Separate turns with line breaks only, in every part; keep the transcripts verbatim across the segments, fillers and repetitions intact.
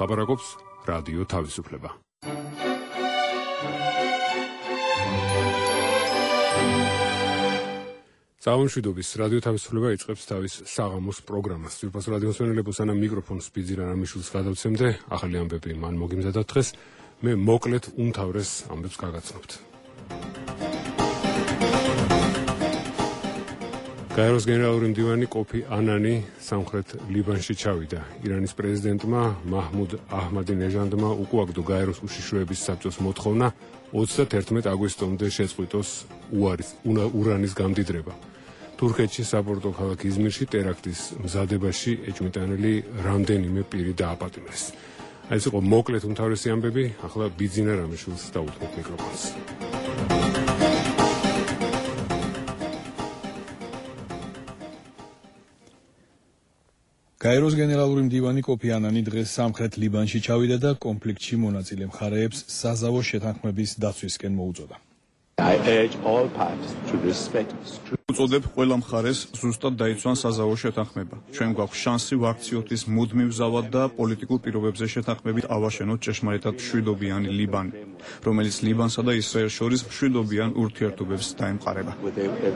ლაპარაკობს რადიო თავისუფლება. Წამოშვიდობის რადიო თავისუფლება იწყებს თავის საღამოს პროგრამას. ძვირფას რადიოს მენელებო სანამ მიკროფონს სპიძირა რამიშვილს გადავცემდე, ახალი ამბები მან მოგიმზადათ დღეს. მე მოკლედ უმთავრეს ამბებს გაგაცნობთ. გაეროს გენერალური მდივანი კოფი ანანი სამხრეთ ლიბანში ჩავიდა. ირანის პრეზიდენტმა მაჰმუდ აჰმადინეჟადმა უკუაგდო გაეროს უშიშროების საბჭოს მოთხოვნა ოცდაათერთმეტ აგვისტომდე შეწყვიტოს ურანის გამდიდრება. თურქეთში საპორტო ქალაქ იზმირში ტერაქტის მზადებაში ეჭვმიტანილი რამდენიმე პირი დააპატიმრეს. აი ეს იყო მოკლედ უმთავრესი ამბები, ახლა ბიძინა რამიშვილს დაუთმობ მიკროფონს.
გაეროს გენერალური მდივანი კოფი ანანი დღეს სამხრეთ ლიბანში ჩავიდა და კონფლიქტში მონაწილე მხარეებს საზავო შეთანხმების დაცვისკენ მოუწოდა.
I urge all parties to respect.
უწოდებ ყველა მხარეს ზუსტად დაიცვან საზავო შეთანხმება. ჩვენ გვაქვს შანსი ვაქციოთ ის მუდმივ ზავად და პოლიტიკურ პირობებზე შეთანხმებით ავაშენოთ ჭეშმარიტად მშვიდობიანი ლიბანი, რომელიც ლიბანსა და ისრაელს შორის მშვიდობიან ურთიერთობებს დაემყარება.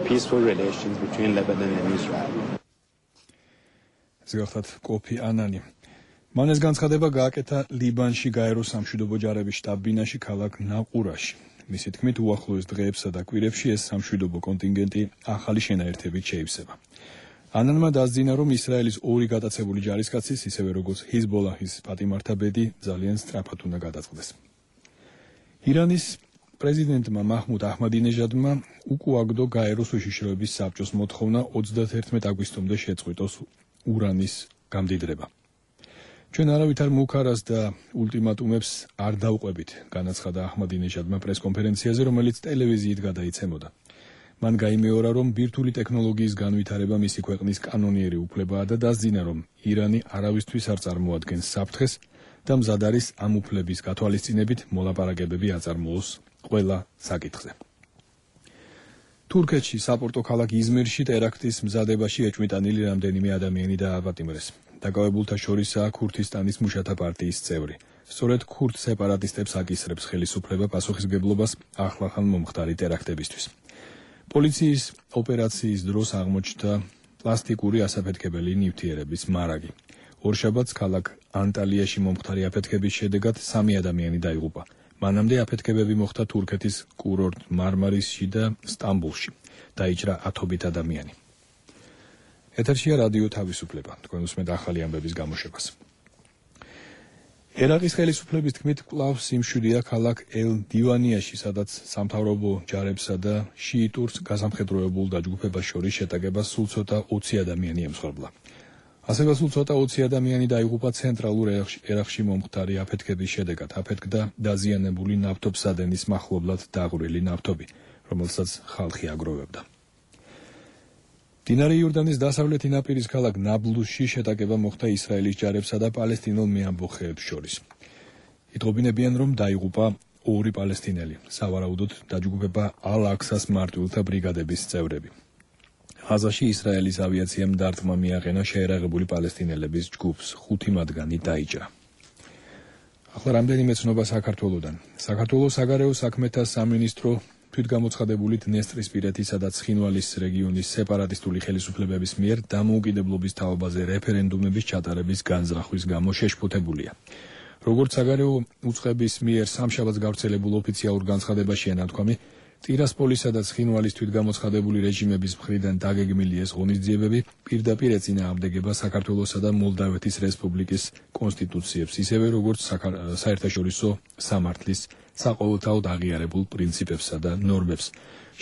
Peaceful relations between Lebanon and Israel.
ზოგადად კოფი ანანი. მან ეს განცხადება გააკეთა ლიბანში გაეროს სამშვიდობო ჯარების შტაბ-ბინაში ქალაქ ნაყურაში. მისი თქმით, უახლოეს დღეებსა და კვირებში ეს სამშვიდობო კონტინგენტი ახალი შენაერთებით შეივსება. ანანმა დასძინა, რომ ისრაელის ორი გატაცებული ჯარისკაცის, ისევე როგორც ჰიზბოლაჰის პატიმართა ბედი ძალიან სწრაფად უნდა გადაწყდეს. ირანის პრეზიდენტმა მაჰმუდ აჰმადინეჟადმა უკუაგდო გაეროს უშიშროების საბჭოს მოთხოვნა ოცდაათერთმეტ აგვისტომდე შეწყვიტოს ურანის გამდიდრება. ჩვენ არავითარ მუქარას და ულტიმატუმებს არ დავყვებით, განაცხადა აჰმადინეჟადმა პრესკონფერენციაზე, რომელიც ტელევიზიით გადაიცემოდა. მან გაიმეორა, რომ ბირთვული ტექნოლოგიის განვითარება მისი ქვეყნის კანონიერი უფლებაა და დასძინა, რომ ირანი არავისთვის არ წარმოადგენს საფრთხეს და მზად არის ამ უფლების გათვალისწინებით მოლაპარაკებები აწარმოოს ყველა საკითხზე. თურქეთში საპორტო ქალაქ იზმირში ტერაქტის მზადებაში ეჭვმიტანილი რამდენიმე ადამიანი დააპატიმრეს. დაკავებულთა შორისაა ქურთისტანის მუშათა პარტიის წევრი. სწორედ ქურთ სეპარატისტებს აკისრებს ხელისუფლება პასუხისმგებლობას ახლახან მომხდარი ტერაქტებისთვის. პოლიციის ოპერაციის დროს აღმოჩნდა პლასტიკური ასაფეთქებელი ნივთიერების მარაგი. ორშაბათს ქალაქ ანტალიაში მომხდარი აფეთქების შედეგად სამი ადამიანი დაიღუპა. მანამდე აფეთქებები მოხდა თურქეთის კურორტ მარმარისში და სტამბულში. დაიჭრა ათობით ადამიანი. ეთერშია რადიო თავისუფლება. თქვენ უსმენთ ახალი ამბების გამოშვებას. ერაყის ხელისუფლების თქმით, კვლავ სიმშვიდეა ქალაქ ელ-დივანიაში, სადაც სამთავრობო ჯარებსა და შიიტურ გასამხედროებულ დაჯგუფებას შორის შეტაკებას სულ ცოტა ოცი ადამიანი ემსხვერპლა. ასევე სულ ცოტა ოცი ადამიანი დაიღუპა ცენტრალურ ერაყში მომხდარი აფეთქების შედეგად. აფეთქდა დაზიანებული ნავთობსადენის მახლობლად დაღვრილი ნავთობი, რომელსაც ხალხი აგროვებდა. მდინარე იორდანის დასავლეთი ნაპირის ქალაქ ნაბლუსში შეტაკება მოხდა ისრაელის ჯარებსა და პალესტინელ მეამბოხეებს შორის. იტყობინებიან, რომ დაიღუპა ორი პალესტინელი, სავარაუდოდ დაჯგუფება ალ-აქსას მარტვილთა ბრიგადების წევრები. ღაზაში ისრაელის ავიაციამ დარტყმა მიაყენა შეერაღებული პალესტინელების ჯგუფს, ხუთი მათგანი დაიჭრა. ახლა რამდენიმე ცნობა საქართველოდან. საქართველოს საგარეო საქმეთა სამინისტრო თვითგამოცხადებული დნესტრისპირეთისა და ცხინვალის რეგიონის სეპარატისტული ხელისუფლებების მიერ დამოუკიდებლობის თაობაზე რეფერენდუმების ჩატარების განზრახვის გამო შეშფოთებულია. როგორც საგარეო უწყების მიერ სამშაბათს გავრცელებულ ოფიციალურ განცხადებაშია ნათქვამი, ტირასპოლისა და ცხინვალის თვითგამოცხადებული რეჟიმების მხრიდან დაგეგმილი ეს ღონისძიებები პირდაპირ ეწინააღმდეგება საქართველოსა და მოლდავეთის რესპუბლიკის კონსტიტუციებს, ისევე როგორც საერთაშორისო სამართლის საყოველთაოდ აღიარებულ პრინციპებსა და ნორმებს.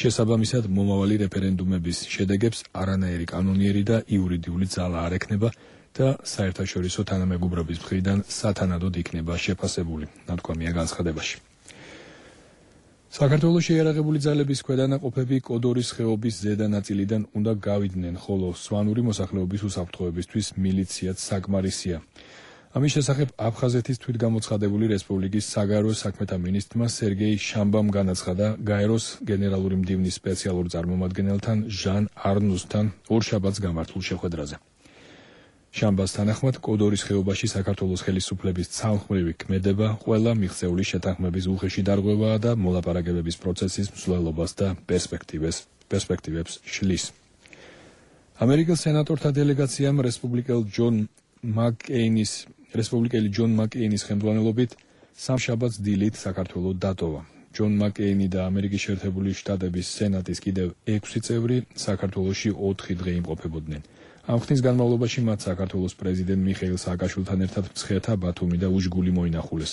შესაბამისად, მომავალი რეფერენდუმების შედეგებს არანაირი კანონიერი და იურიდიული ძალა არ ექნება და საერთაშორისო თანამეგობრობის მხრიდან სათანადოდ იქნება შეფასებული, ნათქვამია განცხადებაში. საქართველოს შეიარაღებული ძალების ქვედანაყოფები კოდორის ხეობის ზედა ნაწილიდან უნდა გავიდნენ, ხოლო სვანური მოსახლეობის უსაფრთხოებისთვის მილიციაც საკმარისია. ამის შესახებ აფხაზეთის თვითგამოცხადებული რესპუბლიკის საგარეო საქმეთა მინისტრმა სერგეი შამბამ განაცხადა გაეროს გენერალური მდივნის სპეციალურ წარმომადგენელთან ჟან არნუსთან ორშაბათს გამართულ შეხვედრაზე. შამბას თანახმად, კოდორის ხეობაში საქართველოს ხელისუფლების ცალმხრივი ქმედება ყველა მიღწეული შეთანხმების უხეში დარღვევაა და მოლაპარაკებების პროცესის მსვლელობას და პერსპექტივებს პერსპექტივებს შლის. ამერიკელ სენატორთა დელეგაციამ რესპუბლიკელ ჯონ მაკ-კეინის რესპუბლიკელი ჯონ მაკ-კეინის ხელმძღვანელობით სამშაბათს დილით საქართველოს დატოვა. ჯონ მაკ-კეინი და ამერიკის შეერთებული შტატების სენატის კიდევ ექვსი წევრი საქართველოში ოთხი დღე იმყოფებოდნენ. ამ ხნის განმავლობაში მათ საქართველოს პრეზიდენტ მიხეილ სააკაშვილთან ერთად მცხეთა, ბათუმი და უშგული მოინახულეს.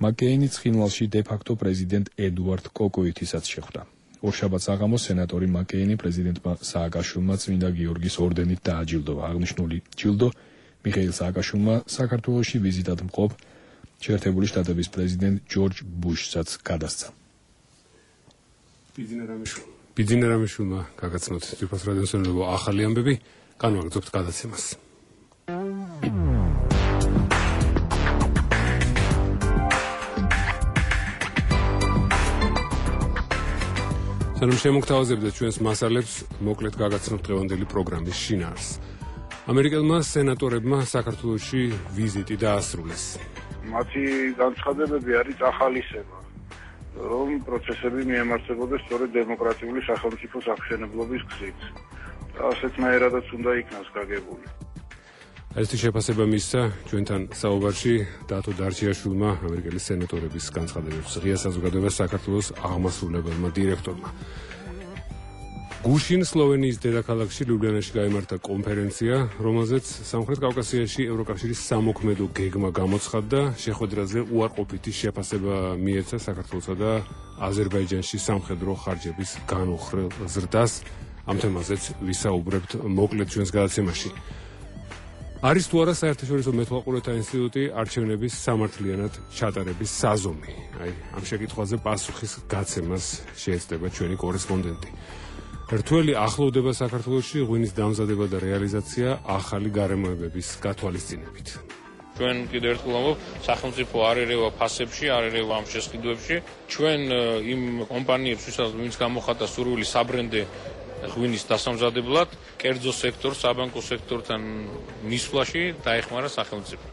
მაკ-კეინი ცხინვალში დე-ფაქტო პრეზიდენტ ედუარდ კოკოითისაც შეხვდა. ორშაბათს საღამოს სენატორი მაკ-კეინი პრეზიდენტმა სააკაშვილმა წმინდა გიორგის ორდენით დააჯილდოვა. აღნიშნული ჯილდო მიხეილ სააკაშვილმა საქართველოში ვიზიტად მყოფ შეერთებული შტატების პრეზიდენტ ჯორჯ ბუშსაც გადასცა.
ბიძინა რამიშვილმა გაგაცნოთ ძვირფას რადიოსმენელო ახალი ამბები. განვაგრძობთ გადაცემას. სანამ შემოგთავაზებდა ჩვენს მასალებს, მოკლედ გაგაცნობთ დღევანდელი პროგრამის შინაარსს. ამერიკელმა სენატორებმა საქართველოში ვიზიტი დაასრულეს.
მათი განცხადებები არის ახალისება, რომ პროცესები მიემართებოდეს სწორედ დემოკრატიული სახელმწიფოს აღშენებლობის გზით. ასეთნაირადაც უნდა იქნას გაგებული.
ესეთი შეფასება მისცა ჩვენთან საუბარში დათო დარჩიაშვილმა, ამერიკელი სენატორების განცხადებებს ღია საზოგადოებას საქართველოს აღმასრულებელმა დირექტორმა. გუშინ სლოვენიის დედაქალაქში ლიუბლიანაში გაიმართა კონფერენცია, რომელზეც სამხრეთ კავკასიაში ევროკავშირის სამოქმედო გეგმა გამოცხადდა, შეხვედრაზე უარყოფითი შეფასება მიეცა საქართველოსა და აზერბაიჯანში სამხედრო ხარჯების განუხრელ ზრდას. ამ თემაზეც ვისაუბრებთ მოკლედ ჩვენს გადაცემაში. არის თუ არა საერთაშორისო მეთვალყურეთა ინსტიტუტი არჩევნების სამართლიანად ჩატარების საზომი? აი, ამ შეკითხვაზე პასუხის გაცემას შეეცდება ჩვენი კორესპონდენტი. რთველი ახლოვდება საქართველოში ღვინის დამზადება და რეალიზაცია ახალი გარემოებების გათვალისწინებით.
ჩვენ კიდევ ერთხელ ვამბობ, სახელმწიფო არ ერევა ფასებში, არ ერევა ამ შესყიდვებში. ჩვენ იმ კომპანიებს, ვინც გამოხატა სურვილი საბრენდე ღვინის დასამზადებლად, კერძო სექტორს, საბანკო სექტორთან მისვლაში დაეხმარა სახელმწიფო.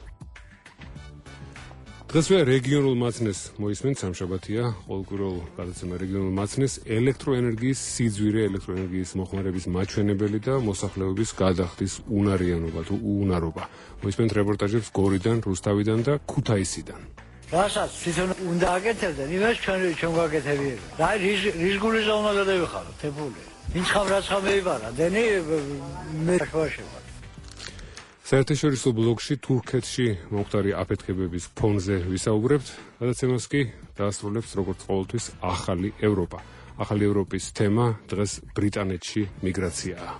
დღესვე რეგიონულ მაცნეს მოისმენთ, სამშაბათია, ყოველკვირეულ გადაცემა რეგიონულ მაცნეს ელექტროენერგიის სიძვირე, ელექტროენერგიის მოხმარების მაჩვენებელი და მოსახლეობის გადახდის უნარიანობა თუ უუნარობა. მოისმენთ რეპორტაჟებს გორიდან, რუსთავიდან და ქუთაისიდან.
რასაც თვითონ უნდა აკეთებდნენ, იმას ჩვენ ჩვენ გაკეთებია. რა რის გულისა უნდა გადავიხარო, თებული. ვინც ხამ რაც ხამ მეიბარა, დენი მე ხواشება.
საერთაშორისო ბლოკში თურქეთში მომხდარი აფეთქებების ფონზე ვისაუბრებთ, გადაცემას კი დაასრულებს როგორც ყოველთვის ახალი ევროპა. ახალი ევროპის თემა დღეს ბრიტანეთში მიგრაციაა.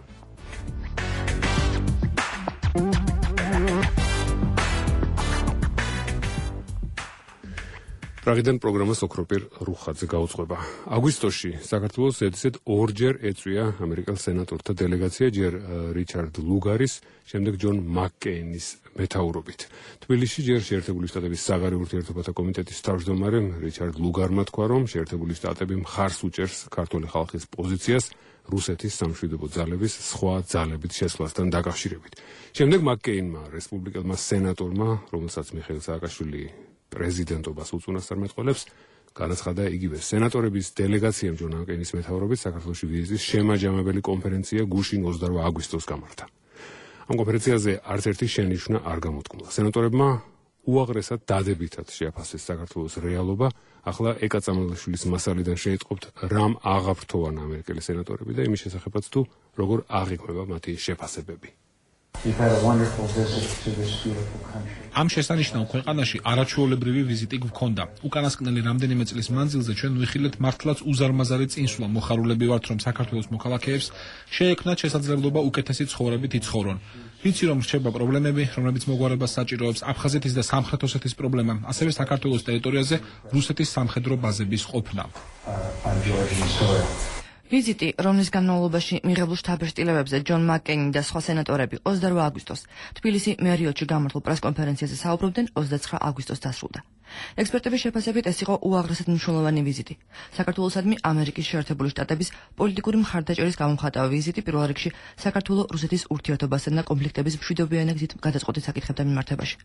პრაღიდან პროგრამას ოქროპირ რუხაძე გაუძღვება. აგვისტოში საქართველოს ზედიზედ ორჯერ ეწვია ამერიკელ სენატორთა დელეგაცია, ჯერ რიჩარდ ლუგარის, შემდეგ ჯონ მაკ-კეინის მეთაურობით. თბილისში ჯერ შეერთებული შტატების საგარეო ურთიერთობათა კომიტეტის თავმჯდომარემ რიჩარდ ლუგარმა თქვა, რომ შეერთებული შტატები მხარს უჭერს ქართული ხალხის პოზიციას რუსეთის სამშვიდობო ძალების სხვა ძალებით შესვლასთან დაკავშირებით. შემდეგ მაკ-კეინმა, რესპუბლიკელმა სენატორმა, რომელსაც მიხეილ სააკაშვილი პრეზიდენტობას უწუნასწარ მეტყველებს, განაცხადა იგივე სენატორების დელეგაციამ ჯონ მაკ-კეინის მეთაურობით საქართველოში ვიზიტის შემაჯამებელი კონფერენცია გუშინ ოცდაორ აგვისტოს გამართა. ამ კონფერენციაზე არც ერთი შენიშვნა არ გამოთქმულა. სენატორებმა უაღრესად დადებითად შეაფასეს საქართველოს რეალობა. ახლა ეკა წამალაშვილის მასალიდან შეიტყობთ, რამ აღაფრთოვან ამერიკელი სენატორები და იმის შესახებაც თუ როგორ აღიქმება მათი შეფასებები.
ამ შესანიშნავ ქვეყანაში არაჩვეულებრივი ვიზიტი გვქონდა. უკანასკნელი რამდენიმე წლის მანძილზე ჩვენ ვიხილეთ მართლაც უზარმაზარი წინსვლა. მოხარულები ვართ, რომ საქართველოს მოქალაქეებს შეექმნათ შესაძლებლობა უკეთესი ცხოვრებით იცხოვრონ. ვიცი, რომ რჩება პრობლემები, რომლებიც მოგვარებას საჭიროებს, აფხაზეთის და სამხრეთ ოსეთის პრობლემა, ასევე საქართველოს ტერიტორიაზე რუსეთის სამხედრო ბაზების ყოფნა.
ვიზიტი, რომლის განმავლობაში მიღებულ შთაბეჭდილებებზე ჯონ მაკკეინი და სხვა სენატორები ოცდაორი აგვისტოს თბილისი მერიოტში გამართულ პრესკონფერენციაზე საუბრობდნენ, ოცდაცხრა აგვისტოს დასრულდა. ექსპერტების შეფასებით ეს იყო უაღრესად მნიშვნელოვანი ვიზიტი. საქართველოსადმი ამერიკის შეერთებული შტატების პოლიტიკური მხარდაჭერის გამომხატავ ვიზიტი პირველ რიგში საქართველო-რუსეთის ურთიერთობასთან და კონფლიქტების მშვიდობიანი გზით გადაწყვეტილ საკითხებთან მიმართებაში.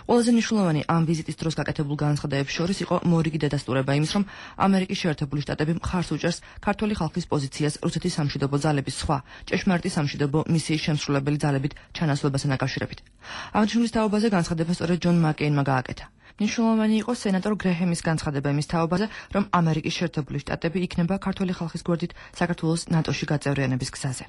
ყველაზე მნიშვნელოვანი ამ ვიზიტის დროს გაკეთებულ განცხადებებს შორის იყო მორიგი დადასტურება იმის, რომ ამერიკის შეერთებული შტატები მხარს უჭერს ქართული ხალხის პოზიციას რუსეთის სამშვიდობო ძალების სხვა ჭეშმარიტი სამშვიდობო მისიის შემსრულებელი ძალებით ჩანაცვლებასთან დაკავშირებით. აღნიშნულის თაობაზე განცხადება სწორედ ჯონ მაკკეინმა გააკეთა. მნიშვნელოვანი იყო სენატორ გრეჰემის განცხადება იმის თაობაზე, რომ ამერიკის შეერთებული შტატები იქნება ქართული ხალხის გვერდით საქართველოს ნატოში გაწევრიანების გზაზე.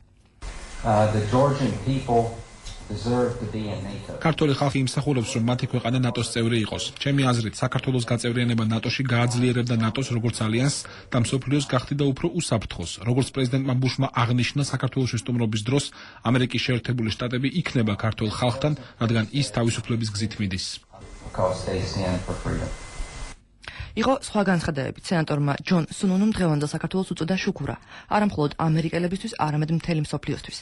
ქართული ხალხი იმსახურებს, რომ მათი ქვეყანა ნატოს წევრი იყოს. ჩემი აზრით, საქართველოს გაწევრიანება ნატოში გააძლიერებდა ნატოს როგორც ალიანსს და მსოფლიოს გახდიდა უფრო უსაფრთხოს. როგორც პრეზიდენტმა ბუშმა აღნიშნა საქართველოს სტუმრობის დროს, ამერიკის შეერთებული შტატები იქნება ქართულ ხალხთან, რადგან ის თავისუფლების გზით მიდის.
იყო სხვა განცხადებებით. სენატორმა ჯონ სუნუნუმ დღევანდელ საქართველოს უწოდა შუქურა, არა მხოლოდ ამერიკელებისთვის, არამედ მთელი მსოფლიოსთვის.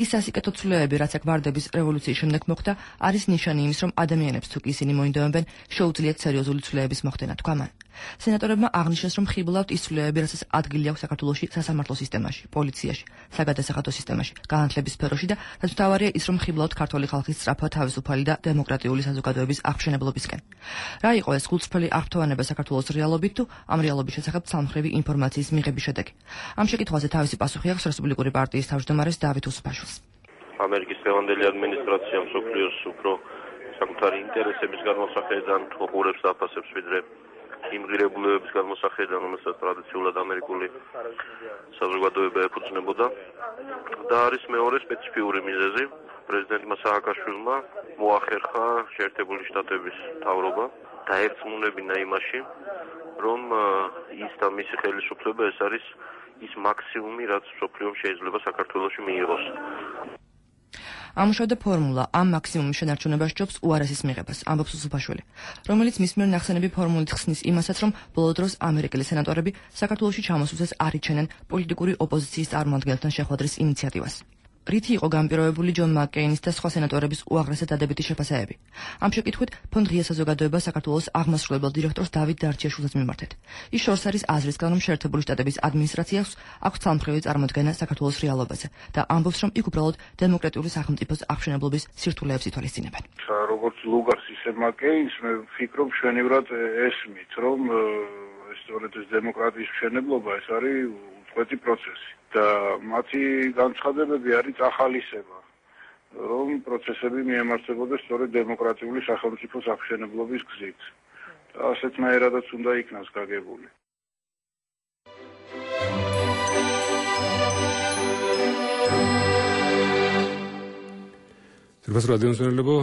ის სასიკეთო ცვლილებები, რაც აქ ვარდების რევოლუციის შემდეგ მოხდა, არის ნიშანი იმის, რომ ადამიანებს თუ კი ისინი მოინდომებენ, შეუძლიათ სერიოზული ცვლილებების მოხდენა, თქვა მან. სენატორებმა აღნიშნეს, რომ ხიბლავთ ის ცვლილებები, რასაც ადგილი აქვს საქართველოში სასამართლო სისტემაში, პოლიციაში, საგადასახადო სისტემაში, განათლების სფეროში და რაც მთავარია ის, რომ ხიბლავთ ქართული ხალხის სწრაფად თავისუფალი და დემოკრატიული საზოგადოების აღმშენებლობისკენ. რა იყო ეს გულწრფელი აღფრთოვანება საქართველოს რეალობით თუ ამ რეალობის შესახებ ცალმხრივი ინფორმაციის მიღების შედეგი? ამ შეკითხვაზე თავისი პასუხი აქვს რესპუბლიკური პარტიის თავმჯდომარეს დავით უსუფაშვილს.
ამერიკის დღევანდელი ადმინისტრაცია მსოფლიოს უფრო საკუთარი ინტერესების განმოსახედიდან უყურებს და აფასებს ვიდრე იმ ღირებულებების განმოსახედიდან, რომელსაც ტრადიციულად ამერიკული საზოგადოება ეფუძნებოდა. და არის მეორე სპეციფიური მიზეზი. პრეზიდენტმა სააკაშვილმა მოახერხა შეერთებული შტატების მთავრობა დაერწმუნებინა იმაში, რომ ის და მისი ხელისუფლება ეს არის ის მაქსიმუმი, რაც მსოფლიომ შეიძლება საქართველოში მიიღოს.
ამუშავდა ფორმულა ამ მაქსიმუმის შენარჩუნებას ჯობს უარესის მიღებას, ამბობს უსუფაშვილი, რომელიც მის მიერ ნახსენები ფორმულით ხსნის იმასაც, რომ ბოლო დროს ამერიკელი სენატორები საქართველოში ჩამოსვლისას არიჩენენ პოლიტიკური ოპოზიციის წარმომადგენელთან შეხვედრის ინიციატივას. რითი იყო განპირობებული ჯონ მაკკეინის და სხვა სენატორების უაღრესად დადებითი შეფასებები. ამ შეკითხვით ფონდ ღია საზოგადოება საქართველოს აღმასრულებელ დირექტორს დავით დარჩიაშვილს მიმართეთ. ის შორს არის აზრისგან, რომ შეერთებული შტატების ადმინისტრაციას აქვს ცალმხრივი წარმოდგენა საქართველოს რეალობაზე და ამბობს, რომ იქ უბრალოდ დემოკრატიული სახელმწიფოს აღმშენებლობის სირთულეებს ითვალისწინებენ.
როგორც ლუგარს ისე მაკკეინს მე ვფიქრობ შვენივრად ესმით, რომ სწორედ ეს დემოკრატიის მშენებლობა ეს არის უწყვეტი პროცესი. და მათი განცხადებები არის ახალისება, რომ პროცესები მიემართებოდეს სწორედ დემოკრატიული სახელმწიფოს აღმშენებლობის გზით. და ასეთნაირადაც უნდა იქნას გაგებული.
ძირფას რადიომსმენელებო,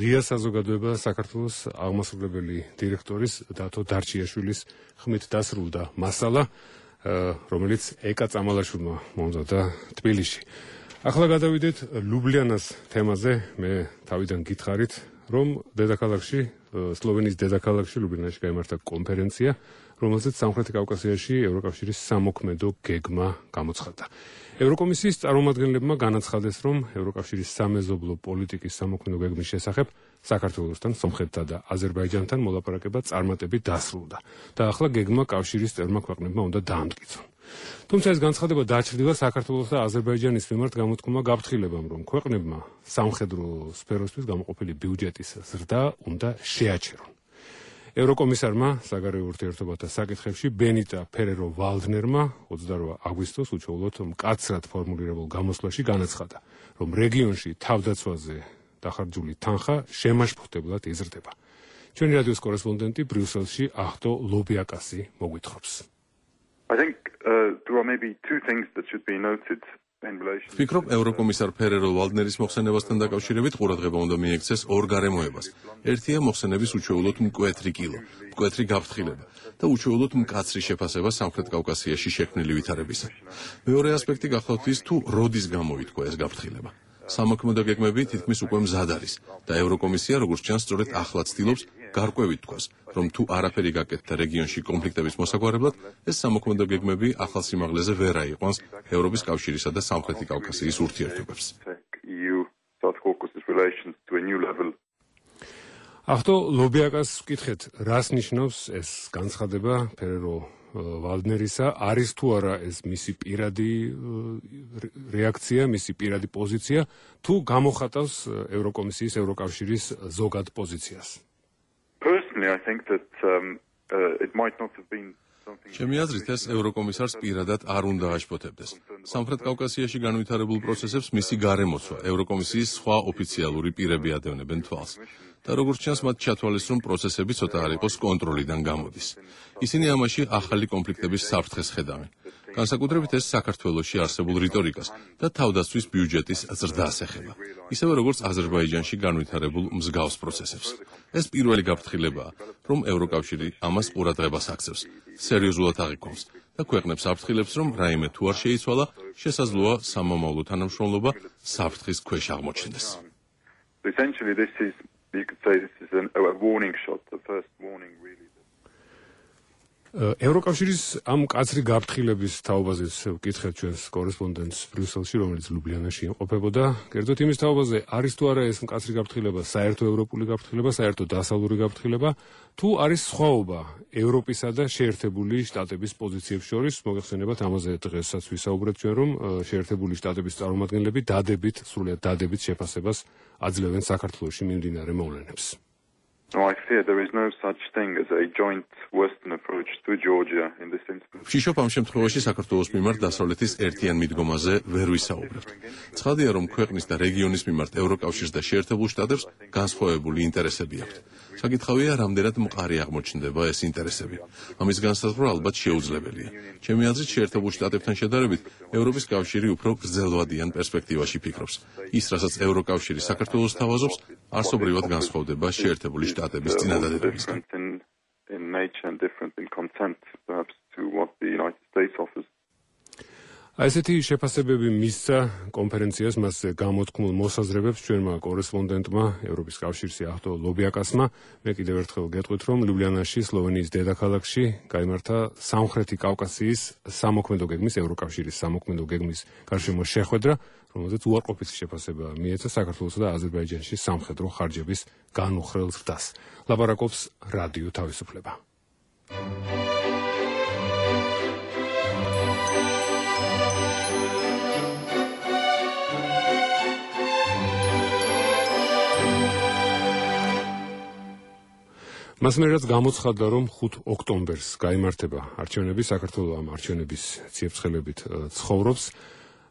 ღია საზოგადოება საქართველოს აღმასრულებელი დირექტორის დათო დარჩიაშვილის ხმით დასრულდა მასალა, რომელიც ეკა წამალაშვილმა მომზადა თბილისში. ახლა გადავიდეთ ლუბლიანას თემაზე. მე თავიდან გითხარით, რომ დედაქალაქში, სლოვენიის დედაქალაქში ლუბლიანაში გაიმართა კონფერენცია, რომელზეც სამხრეთი კავკასიაში ევროკავშირის სამოქმედო გეგმა გამოცხადდა. ევროკომისიის წარმომადგენლებმა განაცხადეს, რომ ევროკავშირის სამეზობლო პოლიტიკის სამოქმედო გეგმის შესახებ საქართველოსთან, სომხეთთან და აზერბაიჯანთან მოლაპარაკება წარმატებით დასრულდა და ახლა გეგმა კავშირის წევრმა ქვეყნებმა უნდა დაამტკიცონ. თუმცა ეს განცხადება დაჩრდილა საქართველოს და აზერბაიჯანის მიმართ გამოთქმულმა გაფრთხილებამ, რომ ქვეყნებმა სამხედრო სფეროსთვის გამოყოფილი ბიუჯეტის ზრდა უნდა შეაჩერონ. ევროკომისარმა საგარეო ურთიერთობათა საკითხებში ბენიტა ფერერო ვალდნერმა ოცდაორი აგვისტოს უჩვეულოდ მკაცრად ფორმულირებულ გამოსვლაში განაცხადა, რომ რეგიონში თავდაცვაზე დახარჯული თანხა შემაშფოთებლად იზრდება. ჩვენი რადიოს კორესპონდენტი ბრიუსელში ახტო ლობიაკასი მოგვითხრობს.
I think uh, there are maybe two things that should be noted. ვფიქრობ, ევროკომისარ ფერერო ვალდნერის მოხსენებასთან დაკავშირებით ყურადღება უნდა მიექცეს ორ გარემოებას. ერთია მოხსენების უჩვეულოდ მკვეთრი კილო, მკვეთრი გაფრთხილება და უჩვეულოდ მკაცრი შეფასება სამხრეთ კავკასიაში შექმნილი ვითარებისა. მეორე ასპექტი გახლავთ ის, თუ როდის გამოითქვა ეს გაფრთხილება. სამოქმედო გეგმები თითქმის უკვე მზად არის და ევროკომისია, როგორც ჩანს, სწორედ ახლა ცდილობს გარკვევით თქვას, რომ თუ არაფერი გაკეთდა რეგიონში კონფლიქტების მოსაგვარებლად, ეს სამოქმედო გეგმები ახალ სიმაღლეზე ვერ აიყვანს ევროპის კავშირისა და სამხრეთი კავკასიის ურთიერთობებს.
ახტო ლობიაკას ვკითხეთ, რას ნიშნავს ეს განცხადება ფერერო ვალდნერისა, არის თუ არა ეს მისი პირადი რეაქცია, მისი პირადი პოზიცია, თუ გამოხატავს ევროკომისიის, ევროკავშირის ზოგად პოზიციას?
Personally, I think that um, uh, it might not have been ჩემი აზრით ეს ევროკომისარს პირადად არ უნდა აშფოთებდეს. სამხრეთ კავკასიაში განვითარებულ პროცესებს მისი გარემოცვა ევროკომისიის სხვა ოფიციალური პირები ადევნებენ თვალს. და როგორც ჩანს, მათ ჩათვალეს, რომ პროცესები ცოტა არ იყოს კონტროლიდან გამოდის. ისინი ამაში ახალი კონფლიქტების საფრთხეს ხედავენ. განსაკუთრებით ეს საქართველოში არსებულ რიტორიკას და თავდაცვის ბიუჯეტის ზრდას ეხება. ისევე როგორც აზერბაიჯანში განვითარებულ მსგავს პროცესებს. ეს პირველი გაფრთხილებაა, რომ ევროკავშირი ამას ყურადღებას აქცევს, სერიოზულად აღიქვამს და ქვეყნებს აფრთხილებს, რომ რაიმე თუ არ შეიცვალა, შესაძლოა სამომავლო თანამშრომლობა საფრთხის ქვეშ აღმოჩნდეს.
Essentially this is you could say this is an, a warning shot, the first warning really.
ევროკავშირის ამ კაცრი გაფრთხილების თაობაზეც ვკითხეთ ჩვენს კორესპონდენტს ბრიუსელში, რომელიც ლუბლიანაში იმყოფებოდა. კერძოდ იმის თაობაზე, არის თუ არა ეს მკაცრი გაფრთხილება საერთო ევროპული გაფრთხილება, საერთო დასავლური გაფრთხილება, თუ არის სხვაობა ევროპისა და შეერთებული შტატების პოზიციებს შორის. მოგეხსენებათ, ამაზე დღესაც ვისაუბრეთ ჩვენ, რომ შეერთებული შტატების წარმომადგენლები დადებით, სრულიად დადებით შეფასებას აძლევენ საქართველოში მიმდინარე მოვლენებს.
No, I fear there is no such thing as a joint Western approach to Georgia in this instance.
ვშიშობ ამ შემთხვევაში საქართველოს მიმართ დასავლეთის ერთიან მიდგომაზე ვერ ვისაუბრებთ. ცხადია, რომ ქვეყნის და რეგიონის მიმართ ევროკავშირს და შეერთებულ შტატებს განსხვავებული ინტერესები აქვთ. საკითხავია, რამდენად მყარი აღმოჩნდება ეს ინტერესები. ამის განსაზღვრა ალბათ შეუძლებელია. ჩემი აზრით, შეერთებულ შტატებთან შედარებით, ევროპის კავშირი უფრო გრძელვადიან პერსპექტივაში ფიქრობს. ის, რასაც ევროკავშირი საქართველოს თავაზობს, არსობრივად განსხვავდება შეერთებული შტატების წინადადებებისგან.
In nature and different in content perhaps to what the United States offers.
ასეთი შეფასებები მისცა კონფერენციას მასზე გამოთქმულ მოსაზრებებს ჩვენმა კორესპონდენტმა ევროპის კავშირის ახტო ლობიაკასმა. მე კიდევ ერთხელ გეტყვით, რომ ლუბლიანაში, სლოვენიის დედაქალაქში გაიმართა სამხრეთი კავკასიის სამოქმედო გეგმის, ევროკავშირის სამოქმედო გეგმის გარშემო შეხვედრა, რომელზეც უარყოფითი შეფასება მიეცა საქართველოსა და აზერბაიჯანში სამხედრო ხარჯების განუხრელ ზრდას. ლაპარაკობს რადიო თავისუფლება. მას მერეც გამოცხადდა, რომ ხუთ ოქტომბერს გაიმართება არჩევნები, საქართველოს ამ არჩევნების ციებ-ცხელებით ცხოვრობს.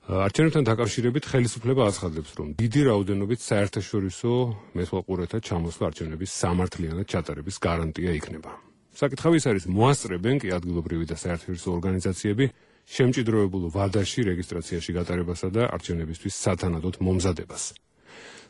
არჩევნებთან დაკავშირებით ხელისუფლება აცხადებს, რომ დიდი რაოდენობით საერთაშორისო მეთვალყურეთა ჩამოსვლა არჩევნების სამართლიანად ჩატარების გარანტია იქნება. საკითხავი ის არის, მოასწრებენ კი ადგილობრივი და საერთაშორისო ორგანიზაციები შემჭიდროებულ ვადაში რეგისტრაციაში გატარებასა და არჩევნებისთვის სათანადოდ მომზადებას.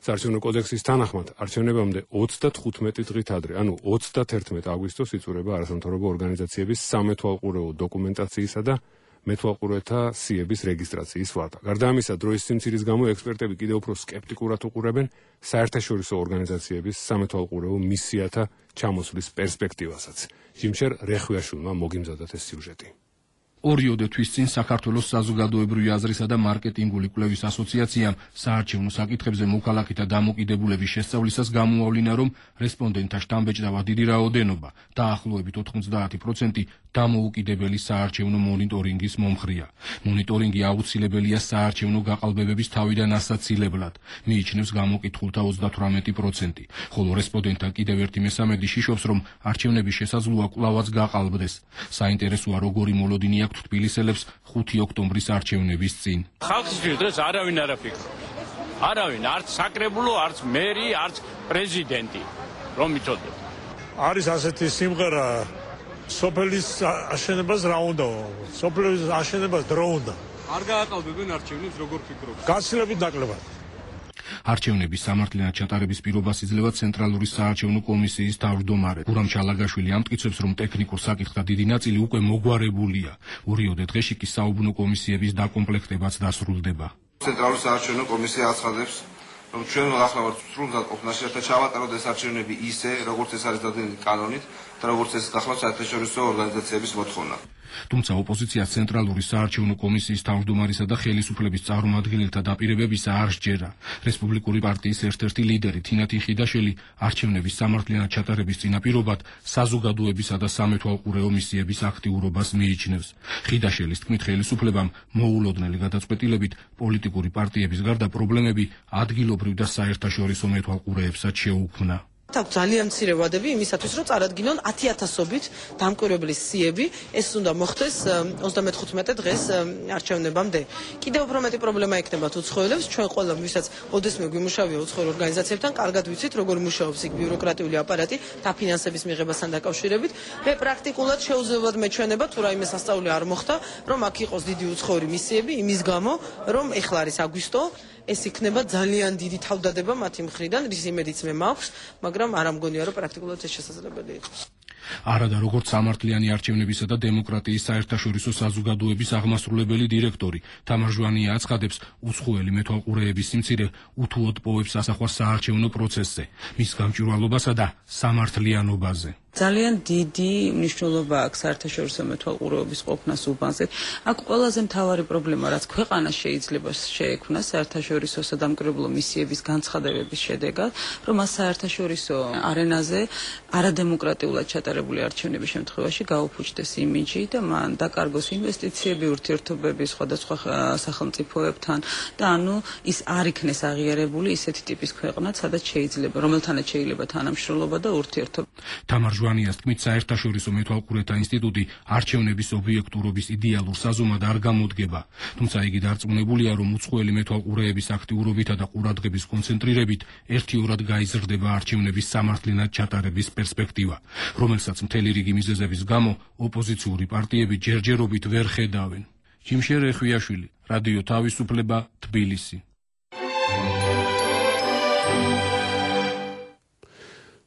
საარჩევნო კოდექსის თანახმად არჩევნებამდე ოცდათხუთმეტი დღით ადრე, ანუ ოცდაათერთმეტი აგვისტოს იწურება არასამთავრობო ორგანიზაციების სამეთვალყურეო დოკუმენტაციისა და მეთვალყურეთა სიების რეგისტრაციის ვადა. გარდა ამისა, დროის სიმცირის გამო ექსპერტები კიდევ უფრო სკეპტიკურად უყურებენ საერთაშორისო ორგანიზაციების სამეთვალყურეო მისიათა ჩამოსვლის პერსპექტივასაც. ჟიმშერ რეხვიაშვილმა მოგიმზადათ ეს სიუჟეტი.
ორიოდე თვის წინ საქართველოს საზოგადოებრივი აზრისა და მარკეტინგული კვლევის ასოციაციამ საარჩევნო საკითხებზე მოქალაქეთა დამოკიდებულების შესწავლისას გამოავლინა, რომ რესპონდენტთა შტამბეჭდავა დიდი რაოდენობა, დაახლოებით ოთხმოცდაათი პროცენტი დამოუკიდებელი საარჩევნო მონიტორინგის მომხრეა. მონიტორინგი აუცილებელია საარჩევნო გაყალბებების თავიდან ასაცილებლად, მიიჩნევს გამოკითხულთა ოცდათვრამეტი პროცენტი, ხოლო რესპონდენტთა კიდევ ერთი მესამედი შიშობს, რომ არჩევნები შესაძლოა კვლავაც გაყალბდეს. საინტერესოა, როგორი მოლოდინი აქვს თბილისელებს ხუთი ოქტომბრის არჩევნების წინ.
ხალხისთვის დღეს არავინ არ აფიქრობს. არავინ, არც საკრებულო, არც მერი, არც პრეზიდენტი, რომ იცოდეთ.
არის ასეთი სიმღერა, სოფლის აშენებას რა უნდა? სოფლის აშენებას დრო უნდა.
არ გააყალბებენ არჩევნებს, როგორ ფიქრობთ?
გაცილებით ნაკლებად.
არჩევნების სამართლიანად ჩატარების პირობას იძლევა ცენტრალური საარჩევნო კომისიის თავმჯდომარე გურამ ჩალაგაშვილი ამტკიცებს, რომ ტექნიკურ საკითხთა დიდი ნაწილი უკვე მოგვარებულია. ორიოდე დღეში კი საუბნო კომისიების დაკომპლექტებაც დასრულდება.
ცენტრალური საარჩევნო კომისია აცხადებს, რომ ჩვენ ახლა ვართ სრულად ყოფნაში, ერთად ჩავატაროთ ეს არჩევნები ისე, როგორც ეს არის დადგენილი კანონით და როგორც ეს გახლავთ საერთაშორისო ორგანიზაციების მოთხოვნა.
თუმცა ოპოზიციას ცენტრალური საარჩევნო კომისიის თავმჯდომარისა და ხელისუფლების წარმომადგენელთა დაპირებებისა არ სჯერა. რესპუბლიკური პარტიის ერთ-ერთი ლიდერი თინათი ხიდაშელი არჩევნების სამართლიანად ჩატარების წინაპირობად საზოგადოებისა და სამეთვალყურეო მისიების აქტიურობას მიიჩნევს. ხიდაშელის თქმით, ხელისუფლებამ მოულოდნელი გადაწყვეტილებით პოლიტიკური პარტიების გარდა პრობლემები ადგილობრივ და საერთაშორისო მეთვალყურეებსაც შეუქმნა.
აქვს ძალიან მცირე ვადები იმისათვის, რომ წარადგინონ ათი ათასობით დამკვირვებლის სიები, ეს უნდა მოხდეს ოცდამეთხუთმეტე დღეს არჩევნებამდე. კიდევ უფრო მეტი პრობლემა ექნებათ უცხოელებს, ჩვენ ყველა ვისაც ოდესმე გვიმუშავია უცხოელ ორგანიზაციებთან, კარგად ვიცით, როგორ მუშაობს იქ ბიუროკრატიული აპარატი დაფინანსების მიღებასთან დაკავშირებით. მე პრაქტიკულად შეუძლებლად მეჩვენება, თუ რაიმე სასწაული არ მოხდა, რომ აქ იყოს დიდი უცხოური მისიები, იმის გამო, რომ ეხლა არის აგვისტო, ეს იქნება ძალიან დიდი თავდადება მათი მხრიდან, რის იმედიც მე მაქვს, მაგრამ არ ამგონია, რომ პრაქტიკულად ეს შესაძლებელი იყოს.
არადა როგორც სამართლიანი არჩევნებისა და დემოკრატიის საერთაშორისო საზოგადოების აღმასრულებელი დირექტორი თამარ ჟვანია აცხადებს, უცხოელი მეთვალყურეების სიმცირე უთუოდ პოვებს ასახვას საარჩევნო პროცესზე, მის გამჭვირვალობასა და სამართლიანობაზე.
ძალიან დიდი მნიშვნელობა აქვს საერთაშორისო მეთვალყურეობის ყოფნას უბანზე. აქ ყველაზე მთავარი პრობლემა, რაც ქვეყანას შეიძლება შეექმნას საერთაშორისო სადამკვირვებლო მისიების განცხადებების შედეგად, რომ მას საერთაშორისო არენაზე არადემოკრატიულად ჩატარებული არჩევნების შემთხვევაში გაუფუჭდეს იმიჯი და მან დაკარგოს ინვესტიციები, ურთიერთობები სხვადასხვა სახელმწიფოებთან და ანუ ის არ იქნეს აღიარებული ისეთი ტიპის ქვეყნად, სადაც შეიძლება, რომელთანაც შეიძლება თანამშრომლობა და ურთიერთობა.
თამარ ჟვანიას თქმით, საერთაშორისო მეთვალყურეთა ინსტიტუტი არჩევნების ობიექტურობის იდეალურ საზომად არ გამოდგება. თუმცა იგი დარწმუნებულია, რომ უცხოელი მეთვალყურეების აქტიურობითა და ყურადღების კონცენტრირებით ერთიორად გაიზრდება არჩევნების სამართლიანად ჩატარების პერსპექტივა, რომელსაც მთელი რიგი მიზეზების გამო ოპოზიციური პარტიები ჯერჯერობით ვერ ხედავენ. ჯიმშე რეხვიაშვილი, რადიო თავისუფლება, თბილისი.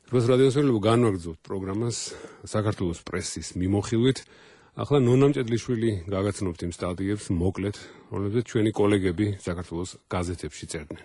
დროს რადიოსმენელო განვაგრძობთ პროგრამას საქართველოს პრესის მიმოხილვით. ახლა ნონა მჭედლიშვილი გაგაცნობთ იმ სტატიებს მოკლედ, რომლებზეც ჩვენი კოლეგები საქართველოს გაზეთებში წერდნენ.